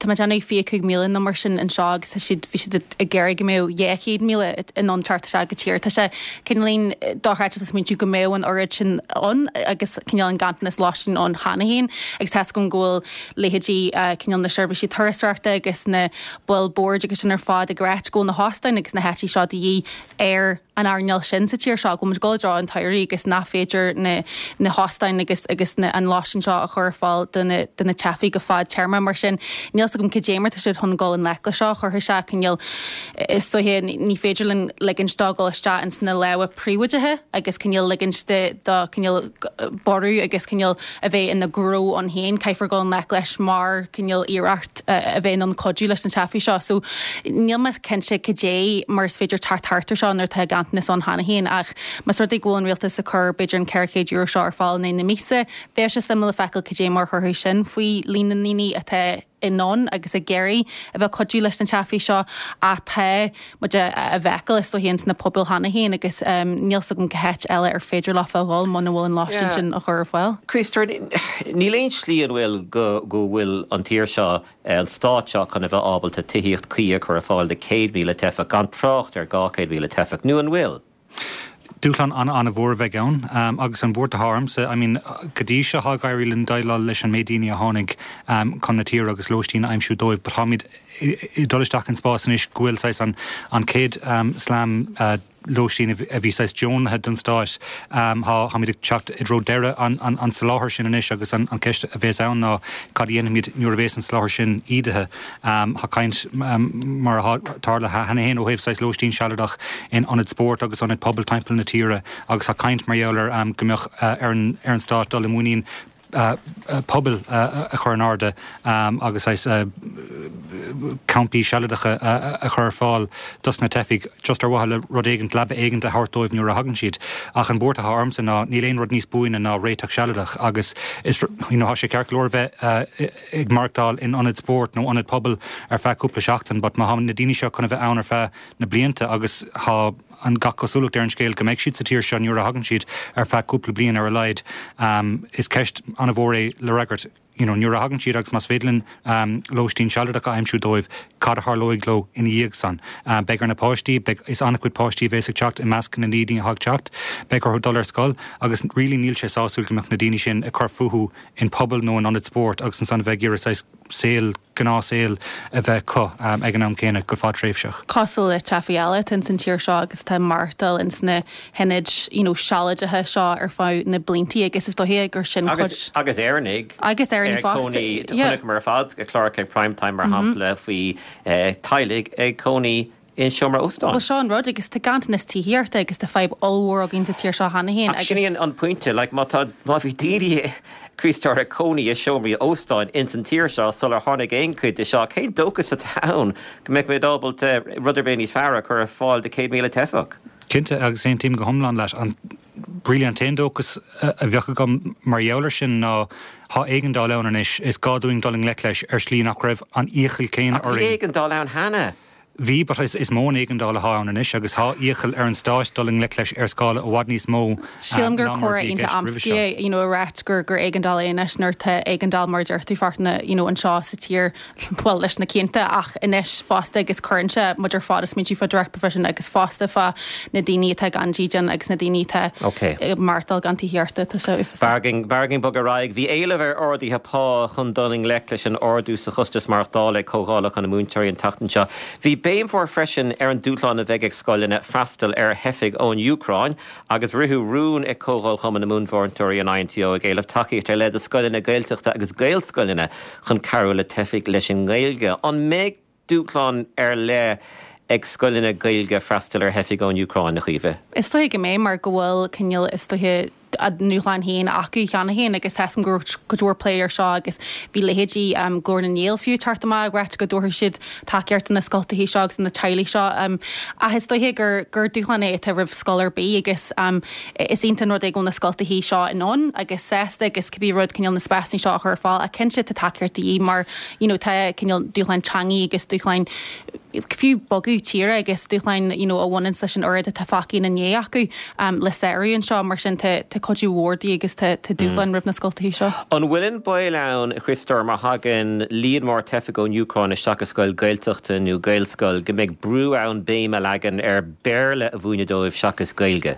tá mé ag déanamh 25,000 nó mar sin anseo agus tá siad bhí siad ag iarraidh go mbeadh 200,000 in ann teacht isteach go tír. Tá sé cineáilín dochreidte a smaointiú go mbeadh an oiread sin ann agus cineál an ganntanas lóistín ann cheana féin agus tá 'fhios agam go bhfuil leithéidí cineál na seirbhísí turasóireachta agus na baill boird agus sin ar fad ag ráit go bhfuil na hóstáin agus na háití seo de dhíth ar. an earnáil sin sa tír seo, go bhfuil muid ag dul i dtreo an tsamhraidh agus nach féidir na na hóstáin agus agus na an lóistín seo a chur ar fáil do na do na teifigh go fadtéarma. Mar sin, níl 's agam cad é mar tá siad chun dul i ngleic leis seo. Chuirfeadh sé cineál, is dóiche, ní féidir linn ligint dó dul isteach ins na lámha príobháideacha agus cineál ligint de do cineál borradh agus cineál a bheith ina ghnó ann féin. Caithfear dul i ngleic leis mar cineál iarracht a bheith in ann cuidiú leis na teifigh seo. So níl mé cinnte cad é mar is féidir teacht thart ar seo nuair atá ganntanas ann cheana féin ach más rud é go bhfuil an rialtas ag cur b'fhéidir an €400 seo ar fáil in aghaidh na míosa, bheadh sé suimiúil le feiceáil cad é mar a chuirfeadh sin faoi líon na ndaoine atá in ann agus ag iarraidh a bheith ag cuidiú leis na teifigh seo ach tá muid á bhfeiceáil is dóiche ins na pobail cheana féin agus níl 's agam cá háit eile ar féidir leofa a dhul muna bhfuil an lóistín sin á chur ar fáil.
Críostóir, níl aon slí an bhfuil go go bhfuil an tír seo, an stát seo chun a bheith ábalta tithíocht cuí a chur ar fáil do 100,000 teifeach, gan trácht ar 200,000 teifeach, nó an bhfuil?
Dúshlán an-an-mhór a bheidh ann agus an bhuairt atá ormsa, I mean, go dtí seo tá ag éirí linn déileáil leis an méid daoine a tháinig chun na tíre agus lóistín a aimsiú dóibh but táimid ag dul isteach in spás anois go bhfuil saghas an an chéad slam lóistín a bhí saghas deonaithe don stáit, táimid ag teacht i dtreo deireadh an an tsoláthair sin anois agus an ceist a bhéas ann ná cad a dhéanfaimid nuair a bhéas an soláthar sin ídithe. Tá caint, mar atá tarlaithe cheana féin, ó thaobh saghas lóistín sealadach in ionaid spóirt agus ionaid pobail timpeall na tíre agus tá caint mar gheall ar go mbeadh ar an stát dul i muinín pubaill a chur in airde agus saghas campaí sealadacha a chur ar fáil dos na teifigh just ar mhaithe le rud éigint, leaba éigint a thabhairt dóibh nuair a thagann siad. Ach an bhuairt atá ormsa ná níl aon rud níos buaine ná réiteach sealadach agus is, you know, tá sé ceart go leor bheith ag maireachtáil in ionad spóirt nó ionad pobail ar feadh cúpla seachtain but má thá na daoine seo chun a bheith ann ar feadh na blianta agus thá an gach cosúlacht ar an scéal go mbeidh siad sa tír seo nuair a thagann siad ar feadh cúpla bliain ar a laghad is ceist an-mhór é le fhreagairt you know nuair a thagann siad agus más féidir linn lóistín sealadach a aimsiú dóibh cad a tharlóidh leo ina dhiaidh san. Beidh ar na páistí, beidh, is an-chuid páistí a bhéas ag teacht i measc na ndaoine atá ag teacht, beidh orthu dul ar scoil agus really níl sé sásúil go mbeadh na daoine sin ag cur fúthu in puball nó in ionad spóirt agus ansan a bheith ag iarraidh saghas saol, gnáthshaol a bheith acu ag an am céanna go fadtréimhseach.
Cosúil le teifigh eile atá ins an tír seo agus atá ag maireachtáil ins na hionaid you know sealadacha seo ar feadh na blianta agus is dóiche gur sin
cuid. Agus Éireannaigh.
Agus Éireannaigh fosta, yeah.
Chonaiceamar ar fad cláracha ag Prime Time mar shampla faoi teaghlaigh ag cónaí i seomra óstáin.
Bhuel, seo an rud, agus tá ganntanas tithíochta agus tá fadhb ollmhór againn sa tír seo cheana féin
agus. Ach sin í an pointe, like, má tá, má bhí daoine, Críostóir, ag cónaí i seomraí óstáin ins an tír seo sular tháinig aon chuid de seo, cén dóchas atá ann go mbeidh muid ábalta rud ar bith níos fearr a chur ar fáil do 100,000 teifeach?
Cinnte, agus aontaím go hiomlán leat. An, really an t-aon dóchas a bheadh agam mar gheall air sin ná thá éigeandáil ann anois, is gá dúinn dul i ngleic leis ar shlí nach raibh an iachall céanna
Ach bhí orainn. éigeandáil ann cheana!
Bhí, but is mó an éigeandáil atá ann anois agus thá iachall ar an stáit dul i ngleic leis ar scála i bhfad níos mó
Sílim gur ná mar a comhrá bhí i iontach gceist roimhe amscaí seo. é, you know, a ráit gur gur éigeandáil é anois nuair tá éigeandáil mar a deir tú Fachtna, you know, anseo sa tír, bhuel, leis na cianta ach anois fosta agus cuireann sé muid ar fad ag smaointiú fá direct provision agus fosta fá na daoine atá gan dídean agus na daoine atá
Ok.
ag maireachtáil gan tithíochta, tá sé uafásach.
B'fhearr againn, b'fhearr againn bogadh ar aghaidh. Bhí éileamh ar arduithe pá chun dul i ngleic leis an ardú sa chostas maireachtála ag comhdhálacha na múinteoirí an tseachtain seo. Bhí béim mhór freisin ar an dúshlán a bheidh ag scoileanna freastal ar theifigh ón Úcráin agus ritheadh rún ag Comhdháil Chumann na Múinteoirí, an INTO, ag éileamh tacaíocht ar leith do scoileanna Gaeltachta agus Gaelscoileanna chun cabhrú le teifigh leis an nGaeilge. An mbeidh dúshlán ar leith ag scoileanna Gaeilge freastal ar theifigh ón Úcráin, a Chaoimhe?
Is dóiche go mbeidh mar go bhfuil cineál, is dóiche, a ndúshláin féin acu cheana féin agus tá 'fhios agam go raibh cuid mhór plé air seo agus bhí leithéidí Glór na nGael fiú ag teacht amach ag ráit go dtabharfadh siad tacaíocht do na scoltacha seo agus do na teaghlaigh seo. Ach is dóiche gur gur dúshlán é atá roimh scoil ar bith agus is iontach an rud é go bhfuil na scoltacha seo in ann agus sásta agus cibé rud cineál na spásanna seo a chur ar fáil ach cinnte tá tacaíocht de dhíth mar you know tá cineál dúshláin teangaí agus dúshláin fiú bogadh tíre agus dúshláin you know a bhaineanns leis an oiread atá fágtha ina ndiaidh acu le sárú anseo mar sin tá tá cuidiú mhór de dhíth agus tá tá dúshláin roimh na scoltacha seo.
An bhfuil an baol ann, a Chriostóir, má thagann líon mór teifigh ón Úcráin isteach i scoil Gaeltachta nó Gaelscoil go mbeidh brú ann béim a leagan ar Béarla a mhúineadh dóibh seachas Gaeilge?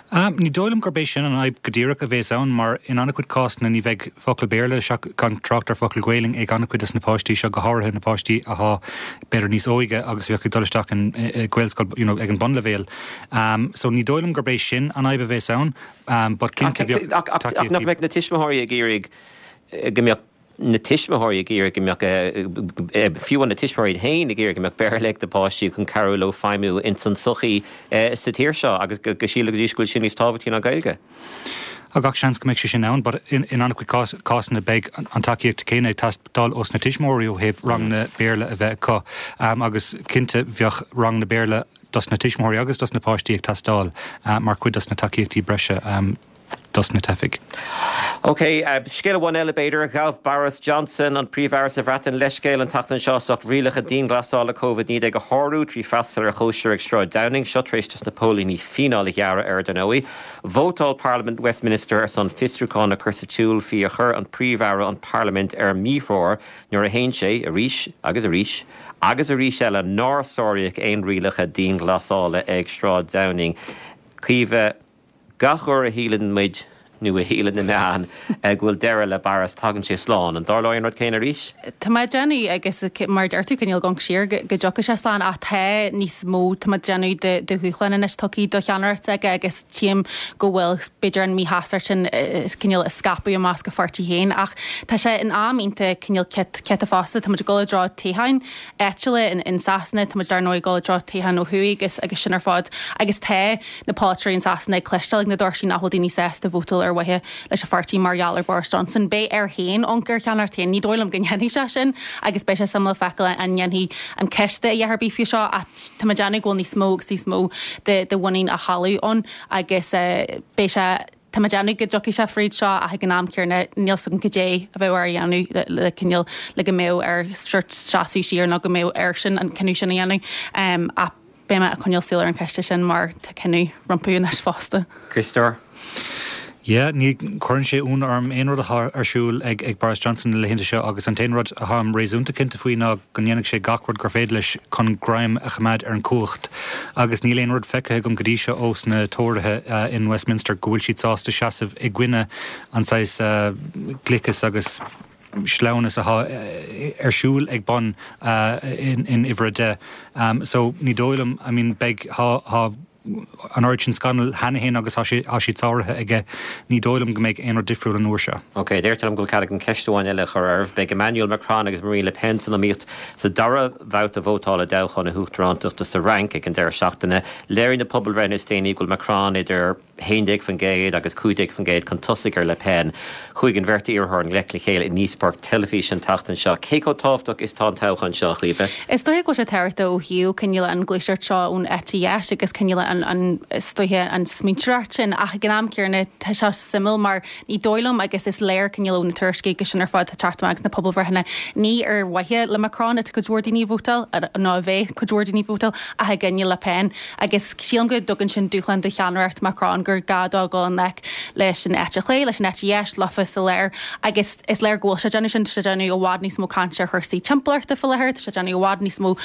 Ní dóigh liom gurb é sin an fhadhb go díreach a bhéas ann mar in an-chuid cásanna ní bheidh focal Béarla, gan trácht ar focal Gaelainn, ag an-chuid des na páistí seo, go háirithe na páistí athá b'fhéidir níos óige agus a bheadh ag dul isteach in Gaelscoil you know ag an bunleibhéal. So ní dóigh liom gurb é sin an fhadhb a bhéas ann but cinnte bheadh
tacaíochtaí. Ach nach mbeadh na tuismitheoirí ag iarraidh go mbeadh na tuismitheoirí ag iarraidh go mbeadh, fiú na tuismitheoirí iad féin ag iarraidh go mbeadh Béarla ag na páistí chun cabhrú leo feidhmiú ins an tsochaí sa tír seo agus go sílfidís go bhfuil sin níos tábhachtaí ná Gaeilge.
Tá gach seans go mbeidh sé sin ann but in an-chuid cásanna beidh an tacaíocht céanna ag teastáil ós na tuismitheoirí ó thaobh ranganna Béarla a bheith acu agus cinnte bheadh ranganna Béarla dos na tuismitheoirí agus dos na páistí ag teastáil mar chuid dos na tacaíochtaí breise. dos na teifigh.
Ok, scéal amháin eile b'fhéidir. Ghabh Boris Johnson, an Príomh-Aire sa Bhreatain, leithscéal an tseachtain seo as ucht rialacha dianghlasála Covid-19 a shárú trí freastal ar chóisir ag Sráid Downing. Seo tar éis dos na póilíní fíneáil a ghearradh air, dar ndóigh. Vótáil Parlaimint Westminster ar son fiosrúchán a chur sa tsiúl faoi ar chuir an Príomh-Aire an Pharlaimint ar míthreoir nuair a shéan sé, arís agus arís agus arís eile, nár sáraíodh aon rialacha dianghlasála ag Sráid Downing. Caoimhe. Gach uair a shíleann muid, nó a shíleann na meáin, go bhfuil deireadh le Boris, tagann sé slán. An dtarlóidh an rud céanna arís?
Tá mé ag déanamh, agus mar a deir tú, cineál ag amharc siar, go dtiocfaidh sé slán ach tá níos mó, tá mé ag déanamh, de dhúshláin anois tugtha do cheannaireacht s'aige agus tchím go bhfuil, b'fhéidir, an míshástacht sin cineál ag scaipeadh i measc a pháirtí féin. Ach tá sé in am iontach cineál ciotach fosta, tá muid ag dul i dtreo toghcháin. áitiúla in Sasana. Tá muid dar ndóigh ag dul i dtreo toghcháin ó thuaidh agus agus sin ar fad. Agus tá na polaiteoirí in Sasana ag cloisteáil ag na doirsí nach bhfuil daoine sásta vótáil ar mhaithe leis an pháirtí mar gheall ar Boris Johnson. Beidh air féin amharc ar cheannaireacht féin. Ní dóigh liom go ndéanfaidh sé sin agus beidh sé suimiúil feiceáil an ndéanfaidh an coiste a dhath ar bith faoi seo ach tá mé ag déanamh go bhfuil níos mó agus níos mó de de mhuinín á chailleadh ann agus beidh sé Tá mé ag déanamh go dtiocfaidh sé fríd seo ach ag an am céanna níl 's agam cad é a bheadh air a dhéanamh le cineál le go mbeadh air sórt seasamh siar nó go mbeadh airsean an cinneadh sin a dhéanamh. Ach beidh mé ag coinneáil súil ar an cheist sin mar tá cinneadh rompu anois fosta.
Críostóir.
Yeah, ní chuireann sé ionadh orm aon rud atá ar siúl ag ag Boris Johnson na laethanta seo agus an t-aon rud atáim réasúnta cinnte faoi ná go ndéanfaidh sé gach rud gur féidir leis chun greim a choimeád ar an chumhacht. Agus níl aon rud feicthe agam go dtí seo ós na Tóraithe in Westminster go bhfuil siad sásta seasamh i gcoinne an saghas gliceas agus sleamhnas atá ar siúl ag bun in uimhir 10. So ní dóigh liom, I mean beidh, tá an oiread sin scannal cheana féin agus tá siad sáraithe aige, ní dóigh liom go mbeidh aon rud difriúil an uair seo.
Ok, deirtear liom go bhfuil cead agam ceist amháin eile a chur oraibh. Beidh Emmanuel Macron agus Marine Le Pen san iomaíocht sa dara babhta vótála i dtoghchán na huachtarántachta sa Fhrainc ag an deireadh seachtaine. Léirigh na pobalbhreitheanna is déanaí go bhfuil Macron idir 11% agus 15% chun tosaigh ar Le Pen. Chuaigh an bheirt iarrthóir i ngleic le chéile i ndíospóireacht teilifíse an tseachtain seo. Cé chomh tábhachtach is atá an toghchán seo, a Chaoimhe?
Is dóiche go bhfuil sé tábhachtach ó thaobh cineál an ghluaiseacht seo ón eite dheis agus cineál an, an, is dóiche an smaointeoireacht sin ach ag an am céanna tá sé suimiúil mar Ní dóigh liom, agus is léir cineál ó na tuairiscí agus sin ar fad atá ag teacht amach agus na pobalbhreitheanna, ní ar mhaithe le Macron atá cuid mhór daoine ag vótáil, nó a bheidh cuid mhór daoine ag vótáil, ach i gcoinne Le Pen. Agus sílim go dtugann sin dúshlán do cheannaireacht Macron gur gá dó dul i ngleic leis an eite chlé, leis an eite dheis, lofa sa lár. Agus is léir go bhfuil sé ag déanamh sin, tá sé ag déanamh i bhfad níos mó cainte ar chúrsaí timpeallachta faoi láthair, tá sé ag déanamh i bhfad níos mó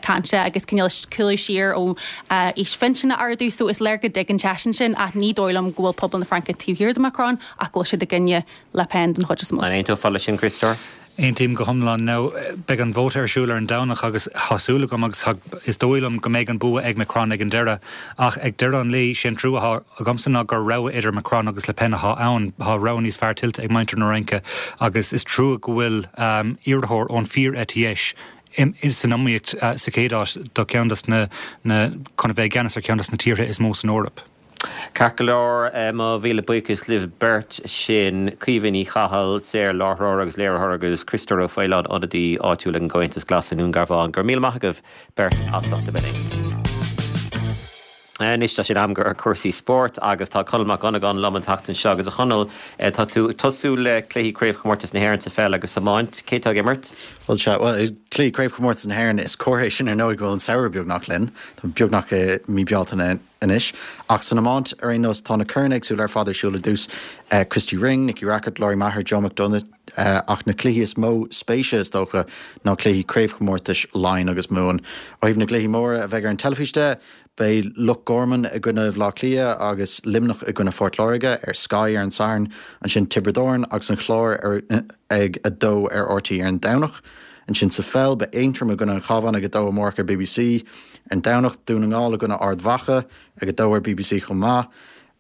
cainte agus cineál cúlú siar ó aois phinsin a ardú so is léir go dtuigeann seisean sin ach ní dóigh liom go bhfuil pobal na Fraince taobh thiar de Macron ach go bhfuil siad i gcoinne Le Pen den chuid is mó.
An aontófá leis sin, Criostóir?
Aontaím go hiomlán. Now, beidh an vóta ar siúl ar an Domhnach agus tá súil agam agus is dóigh liom go mbeidh an bua ag Macron ag an deireadh. Ach ag deireadh an lae, sé an trua atá agamsa ná gur rogha idir Macron agus Le Pen atá ann. Tá rogha níos fearr tuillte ag muintir na Fhraince agus is trua go bhfuil iarrthóir ón fíor-eite dheis san iomaíocht sa chéad áit do cheann dos na, chun a bheith i gceannas ar cheann dos na tíortha is mó san Eoraip.
Ceart go leor, mo mhíle buíochas libh beirt, sin Caoimhe Ní Chathail, saor-láithreoir agus léiritheoir agus Criostóir Ó Faoláin, ionadaí áitiúil ag an gComhaontas Glas i nDún Garbhán. Go raibh míle maith agaibh beirt as ucht a bheith linn. Anois tá sé in am do chúrsaí spóirt agus tá Conall Mac Dhonnagáin liom an tseachtain seo agus a Chonaill, tá tú ag tosú le cluichí Craobhchomórtas na hÉireann sa pheil agus sa iomáint. Cé atá ag imirt?
Bhuel sea, bhuel, cluichí Craobhchomórtas na hÉireann, is comhartha é sin ar ndóigh go bhfuil an samhradh beagnach linn. Tá beagnach i mí Bealtaine. anois. Ach san iomáint, ar aon nós, tá na coirn éagsúla ar fad ar siúl ar dtús, Christy Ring, Nicky Rackard, Lory Meagher, Joe McDonagh, ach na cluichí is mó spéise, is dócha, ná cluichí craobhchomórtais Laighean agus Mumhan. Ó thaobh na gcluichí móra a bheidh ar an teilifís de, beidh Loch Garman i gcoinne Bhaile Átha Cliath agus Luimneach i gcoinne Phort Láirge ar Sky ar an Satharn, ansin Tiobraid Árann agus an Clár ag 2 ar RTÉ ar an Domhnach. Ansin sa pheil, beidh Aontroim i gcoinne an Chabháin ag 2 amárach ar bbc. Ar an Domhnach, Dún na nGall i gcoinne Ard Mhacha ag 2 ar bbc chomh maith,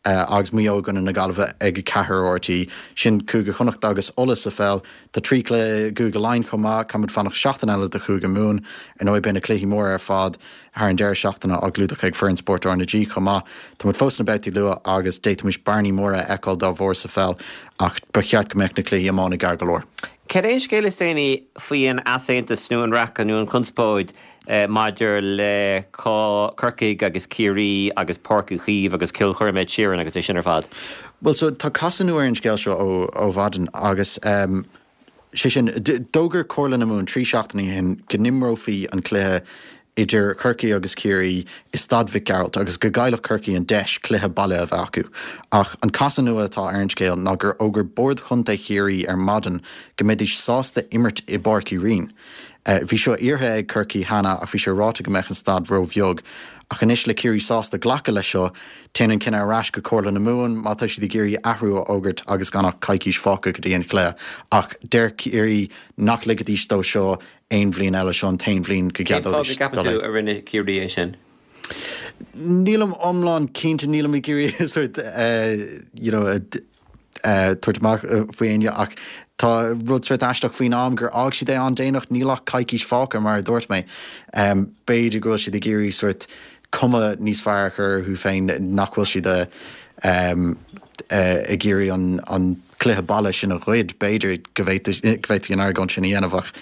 agus Maigh Eo i gcoinne na Gaillimhe ag 4 ar RTÉ. Sin Cúige Chonnacht agus Uladh sa pheil. Tá 3 chluiche i gCúige Laighean chomh maith. Caithfimid fanacht seachtain eile do Chúige Mumhan. Ar ndóigh, beidh na cluichí móra ar fad thar an deireadh seachtaine á gclúdach ag foireann spóirt RnaG chomh maith. Tá muid fós sna babhtaí luath agus d'fhéadfaimis bearnaí móra a fheiceáil dá bharr sa pheil ach ba cheart go mbeadh na cluichí iomána gearr go leor.
Cad é an scéal is déanaí faoi an easaontas nó an raic nó an chonspóid maidir le Corcaigh agus Ciarraí agus Páirc Uí Chaoimh agus ceolchoirm Ed Sheeran agus é sin ar fad?
Bhuel, so tá casadh nua ar an scéal seo ó mhaidin agus sé sin, d'fhógair Comhairle na Mumhan 3 seachtaine ó shin go n-imreofaí an cluiche idir Corcaigh agus Ciarraí i Staid Mhic Gearailt agus go gcaillfeadh Corcaigh an deis cluiche baile a bheith acu. Ach an casadh nua atá ar an scéal ná gur fhógair Bord Chontae Chiarraí ar maidin go mbeidís sásta imirt i bPáirc Uí Rinn. Bhí seo iarrtha ag Corcaigh cheana ach bhí sé ráite go mbeadh an staid róbheag. Ach anois le Ciarraí sásta glacadh leis seo, téann an cinneadh ar ais go Comhairle na Mumhan má tá siad ag iarraidh athrú a fhógairt agus gan ach coicís fágtha go dtí an chluiche. Ach deir Ciarraí nach ligfidís dó seo aon bhliain eile, seo an t-aon bhliain go
Cén fáth go
gceadóidís
gceapann tú a rinne Ciarraí é sin?
Nílim iomlán cinnte, nílim ag iarraidh sort you know tabhairt amach faoi éinne ach tá rud sort aisteach faoin am gur fhág siad é an-déanach, níl ach coicís fágtha mar a dúirt mé. B'fhéidir go bhfuil siad ag iarraidh sort cuma níos fearr a chur orthu féin, nach bhfuil siad ag iarraidh an cluiche baile sin a ghoid, b'fhéidir go bhféadfaí an argóint sin a dhéanamh ach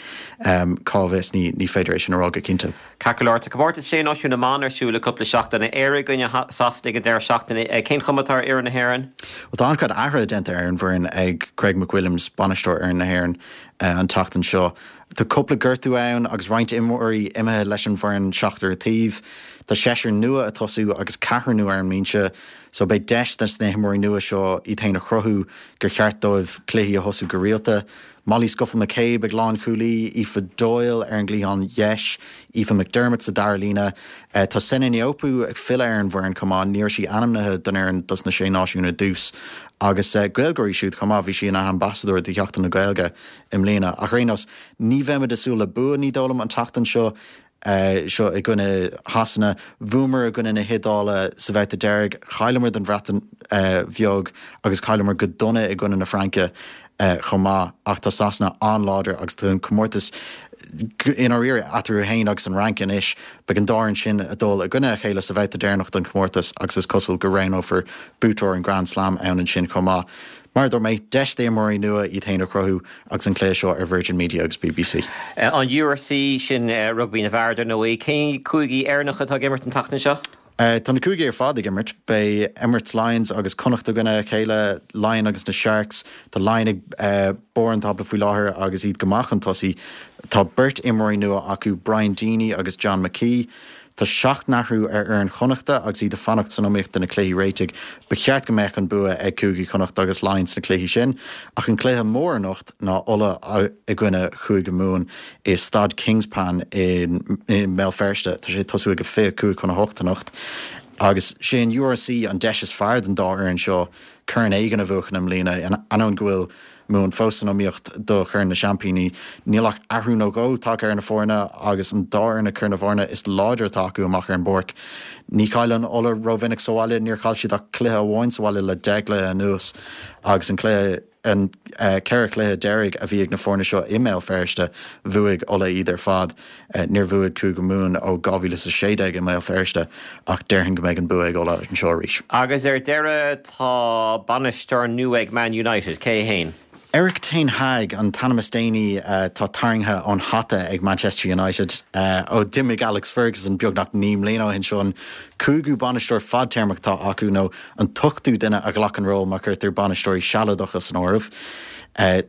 cá bhfios, ní féidir é sin a rá go cinnte.
Ceart go leor, tá Comórtas Sé Náisiún na mBan ar siúl le cúpla seachtain. Éire i gcoinne Sasana ag an deireadh seachtaine. Cén chuma atá ar fhoireann na hÉireann?
Bhuel, tá an-chuid athruithe déanta ar an bhfoireann ag Craig McWilliams, bainisteoir fhoireann na hÉireann, an tseachtain seo. Tá cúpla gortú ann agus roinnt imreoirí imithe leis an bhfoireann, seachtar an taobh. Tá seisear nua ag tosú agus ceathrar nua ar an mbinse. So beidh deis dos na himreoirí nua seo iad féin a chruthú gur cheart dóibh cluichí a thosú go rialta. Molly Scuffil McCabe ag lánchúlaí, Aoife Doyle ar an gcliathán dheis, Aoife McDermott sa dara líne. Tá Sene Naoupu ag filleadh ar an bhfoireann chomh maith, ní raibh sí ainmnithe don fhoireann dos na Sé Náisiún ar dtús. Agus Gaeilgeoir í siúd chomh maith, bhí sí ina hambasadóir do Sheachtain na Gaeilge i mbliana. Ach ar aon nós, ní bheimid ag súil le bua, ní dóigh liom, an tseachtain seo. seo i gcoinne Shasana. Bhuamar i gcoinne na hIodáile sa bhabhta deiridh, chailleamar don Bhreatain Bheag agus chailleamar go dona i gcoinne na Fraince chomh maith ach tá Sasana an-láidir agus tá an comórtas i ndáiríre eatarthu féin agus an Fhrainc anois. Beidh an dá fhoireann sin ag dul i gcoinne a chéile sa bhabhta deireanach den chomórtas agus is cosúil go roghnófar buaiteoir an Grand Slam ann ansin chomh maith. Mar a dúirt mé, deis d'imreoirí nua iad féin a chruthú agus an cluiche seo ar Virgin Media agus bbc.
An URC, sin rugbaí na bhfear, dar ndóigh. Cén cúigí Éireannacha atá ag imirt an tseachtain seo?
Tá na cúigí ar fad ag imirt. Beidh Emirates Lions agus Connacht i gcoinne a chéile, Laighin agus na Sharks. Tá Laighin ag barr an tábla faoi láthair agus iad go maith chun tosaigh. Tá beirt imreoirí nua acu, Brian Deeny agus John McKee. Tá 7 n-athrú ar fhoireann Chonnachta agus iad ag fanacht san iomaíocht do na cluichí réitigh. Ba cheart go mbeadh an bua ag Cúigí Chonnacht agus Laighean sna cluichí sin, ach an cluiche mór anocht ná Ulaidh i gcoinne Chúige Mumhan i Staid Kingspan i mBéal Feirste. Tá sé ag tosú ag a 25 chun 8 anocht agus sé an URC an deis is fearr don dá fhoireann seo corn éigin a bhuachan i mbliana, ainneoin go bhfuil Mumhan fós san iomaíocht do Chorn na Seaimpíní. Níl ach athrú nó dhó tagtha ar na foirne agus an dá fhoireann ag cur na bhfoirne is láidre atá acu amach ar an bpáirc. Ní chailleann Ulaidh rómhinic sa bhaile, níor chaill siad ach cluiche amháin sa bhaile le 10 gcluiche anuas agus an cluiche an 4 chluiche deiridh a bhí ag na foirne seo i mBéal Feirste, bhuaigh Ulaidh iad ar fad. Níor bhuaigh Cúige Mumhan ó 2016 i mBéal Feirste ach déarfainn go mbeidh an bua ag Ulaidh anseo arís.
Agus ar deireadh tá bainisteoir nua ag Man United, cé hé fhéin?
Erik ten Hag an t-ainm is déanaí atá tarraingthe ón hata ag Manchester United ó d'imigh Alex Ferguson beagnach 9 mbliana ó shin. Seo an cúigiú bainisteoir fadtéarmach atá acu nó an t-ochtú duine a ghlac an ról má chuirtear bainisteoirí sealadacha san áireamh.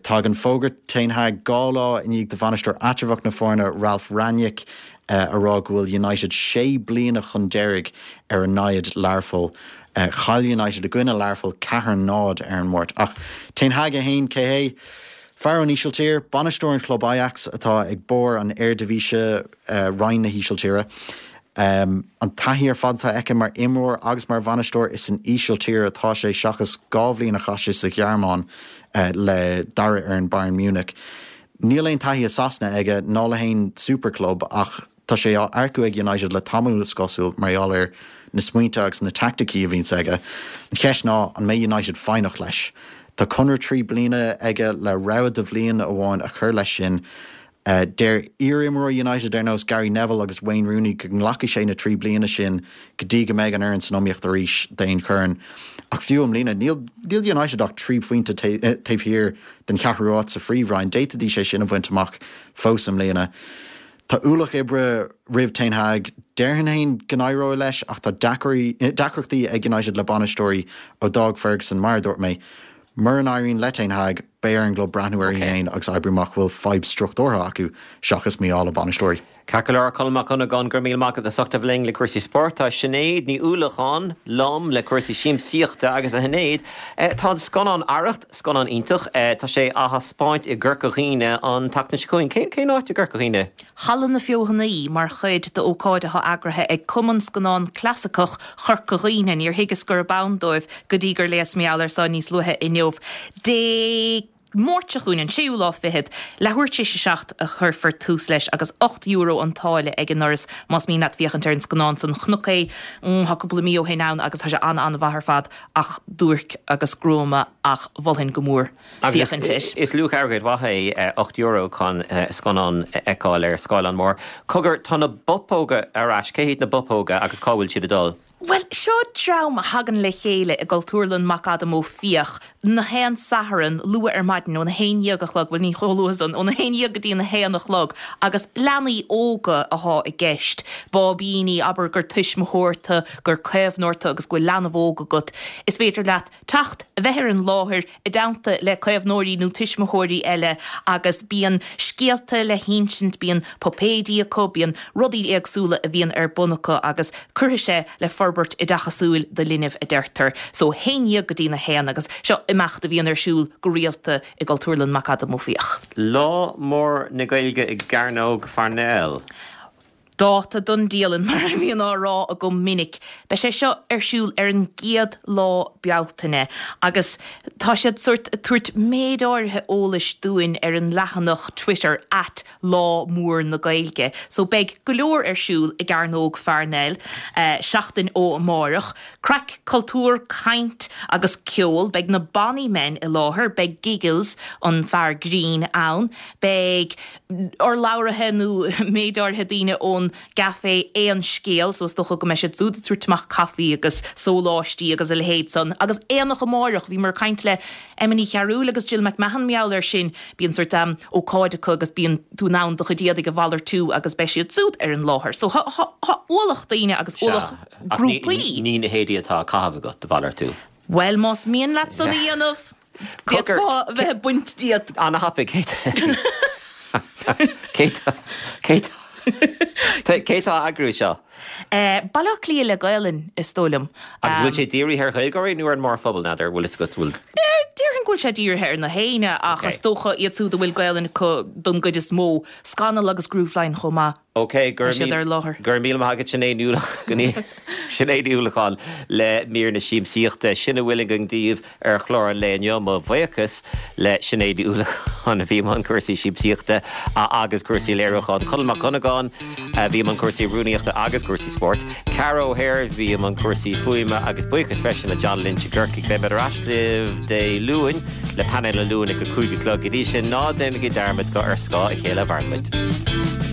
Tagann fógra Ten Hag 2 lá i ndiaidh do bhainisteoir eatramhach na foirne, Ralf Rangnick, a rá go bhfuil United sé bliana chun deiridh ar a namhaid Learpholl. Chaill United i gcoinne Learpholl 4-0 ar an Máirt. Ach Ten Hag é féin, cé hé? Fear ón Ísiltír, bainisteoir an chlub Ajax atá ag barr an Eredivisie, roinn na hÍsiltíre. An taithí ar fad atá aige mar imreoir agus mar bhainisteoir, is san Ísiltír atá sé seachas 2 bhliain a chaith sé sa Ghearmáin le dara fhoireann Bayern Munich. Níl aon taithí i Sasana aige ná le haon superclub ach tá sé á earcú ag United le tamall is cosúil mar gheall ar na smaointe agus na teaicticí a bhíonns aige. An cheist ná an mbeidh United foighneach leis? Tá conradh 3 bliana aige le rogha de bhliain amháin a chur leis sin. Deir iar-imreoirí United ar nós Gary Neville agus Wayne Rooney go nglacfaidh sé na 3 bliana sin go dtí go mbeidh an fhoireann san iomaíocht arís d'aon chorn. Ach fiú i mbliana, níl United ach 3 phointe taobh thiar den cheathrú áit sa Phríomhroinn. D'fhéadfaidís é sin a bhaint amach fós i mbliana. Tá ualach oibre roimh Ten Hag. Déarfainn féin go n-éireoidh leis ach tá deacrachtaí ag United le bainisteoirí ó d'fhág Ferguson, mar a dúirt mé. Mura n-éiríonn le Ten Hag, beidh ar an gclub breathnú uirthi féin agus oibriú amach bhfuil fadhb struchtúrtha acu seachas mí-ádh le bainisteoirí.
Ceart go leor, Colm Mac Dhonnagáin, go raibh míle maith agat as ucht a bheith linn le cúrsaí spóirt. Tá Sinéad Ní Uallacháin liom le cúrsaí siamsaíochta agus a Shinéad, tá an scannán Arracht, scannán iontach, tá sé á thaispeáint i gCorca Dhuibhne an tseachtain seo chugainn. Cén, cén áit i gCorca Dhuibhne?
Halla na Feothanaí, mar chuid d'ócáid atá eagraithe ag Cumann Scannán Clasaiceach Chorca Dhuibhne. Níor thuigeas gurb ann dóibh go dtí gur léas mar gheall air so níos luaithe inniu. Dé Máirt seo chugainn, an séú lá fichead, leathuair tar éis a 7 a chuirfear tús leis agus €8 an táille ag an ndoras más mian leat féachaint ar an scannán san. Chonac é, tá cúpla mí ó shin ann agus tá sé an-an-mhaith ar fad ach duairc agus gruama ach mholfainn go mór
Agus féachaint air. is luach airgid mhaith é €8 chun scannán a fheiceáil ar scáileán mór. Cogar, tá na Bopóga ar ais. Cé hiad na Bopóga agus cá bhfuil siad ag dul?
Bhuel, seo dream a thagann le chéile i gCultúrlann McAdam Ó Fiaich na haon Satharn, luath ar maidin, óna haon dhéag a chlog, bhuel ní chomh luath san, óna haon dhéag go dtí an haon a chlog, agus leanaí óga athá i gceist, báibíní, abair gur tuismitheoir tu, gur caomhnóir tu agus go bhfuil leanbh óg agat, is féidir leat teacht, a bheith ar an láthair i dteannta le caomhnóirí nó tuismitheoirí eile agus bíonn scéalta le hinsint, bíonn puipéidí acu, bíonn rudaí éagsúla a bhíonn ar bun acu agus cuirfidh sé le forbairt oideachasúil do linbh a deirtear. So, haon dhéag go dtí a haon agus seo imeacht a bhíonn ar siúl go rialta i gCultúrlann McAdam Ó Fiaich.
Lá Mór na Gaeilge i gCearnóg Pharnell.
Dáta don dialann, mar a bhíonn á rá agam minic. Beidh sé seo ar siúl ar an gcéad lá Bealtaine agus tá siad sórt ag tabhairt méid áirithe eolais dúinn ar an leathanach Twitter at Lá Mór na Gaeilge. So beidh go leor ar siúl i gCearnóg Pharnell seachtain ó amárach. Craic, cultúr, caint agus ceol. Beidh na Bonny Men i láthair, beidh Giggles, an fear grinn, ann, beidh. urlabhraithe nó méid áirithe daoine ón gcaifé Aon Scéal, so is dócha go mbeidh siad siúd ag tabhairt amach caife agus sóláistí agus a leithéid san. Agus aonach amáireach, bhíomar ag caint le Emma Ní Chearúil agus Jill McMahon mar gheall air sin, bíonn sórt ócáid acu agus bíonn tú in ann do chuid éadaigh a mhalartú agus beidh siad siúd ar an láthair. So tá ualach daoine agus ualach grúpaí.
Ní na héadaí atá á caitheamh agat a mhalartú.
Bhuel, más mian leat san a dhéanamh! D'fhéadfá a bheith ag baint díot.
Ana-thapaidh. Cé cé cé tá á eagrú seo?
Baile Átha Cliath le Gaelainn, is dóigh liom.
Agus bhfuil sé dírithe ar Ghaeilgeoirí nó ar an mórphobal, n'fheadar, bhfuil fhios agat, bhfuil?
Déarfainn go bhfuil sé dírithe ar na héinne ach is dócha iad siúd a bhfuil Gaelainn acu don gcuid is mó. Scannal agus Grooveline chomh maith.
Ok, go raibh míle maith agat Sinéad Ní Sinéad Ní Uallacháin le mír na siamsaíochta. Sin a bhfuil againn daoibh ar chlár an lae inniu. Mo bhuíochas le Sinéad Ní Uallacháin a bhí i mbun cúrsaí siamsaíochta agus cúrsaí léiriúcháin, Conall Mac Dhonnagáin a bhí i mbun cúrsaí rúnaíochta agus cúrsaí spóirt, Ceara O'Hare a bhí i mbun cúrsaí fuaime agus buíochas freisin le John Lynch i gCorcaigh. Beidh muid ar ais libh Dé Luain. Le painéal an Luain ag a 5 a chlog. Go dtí sin, ná déanaigí dearmad gur ar scáth a chéile a mhaireann muid.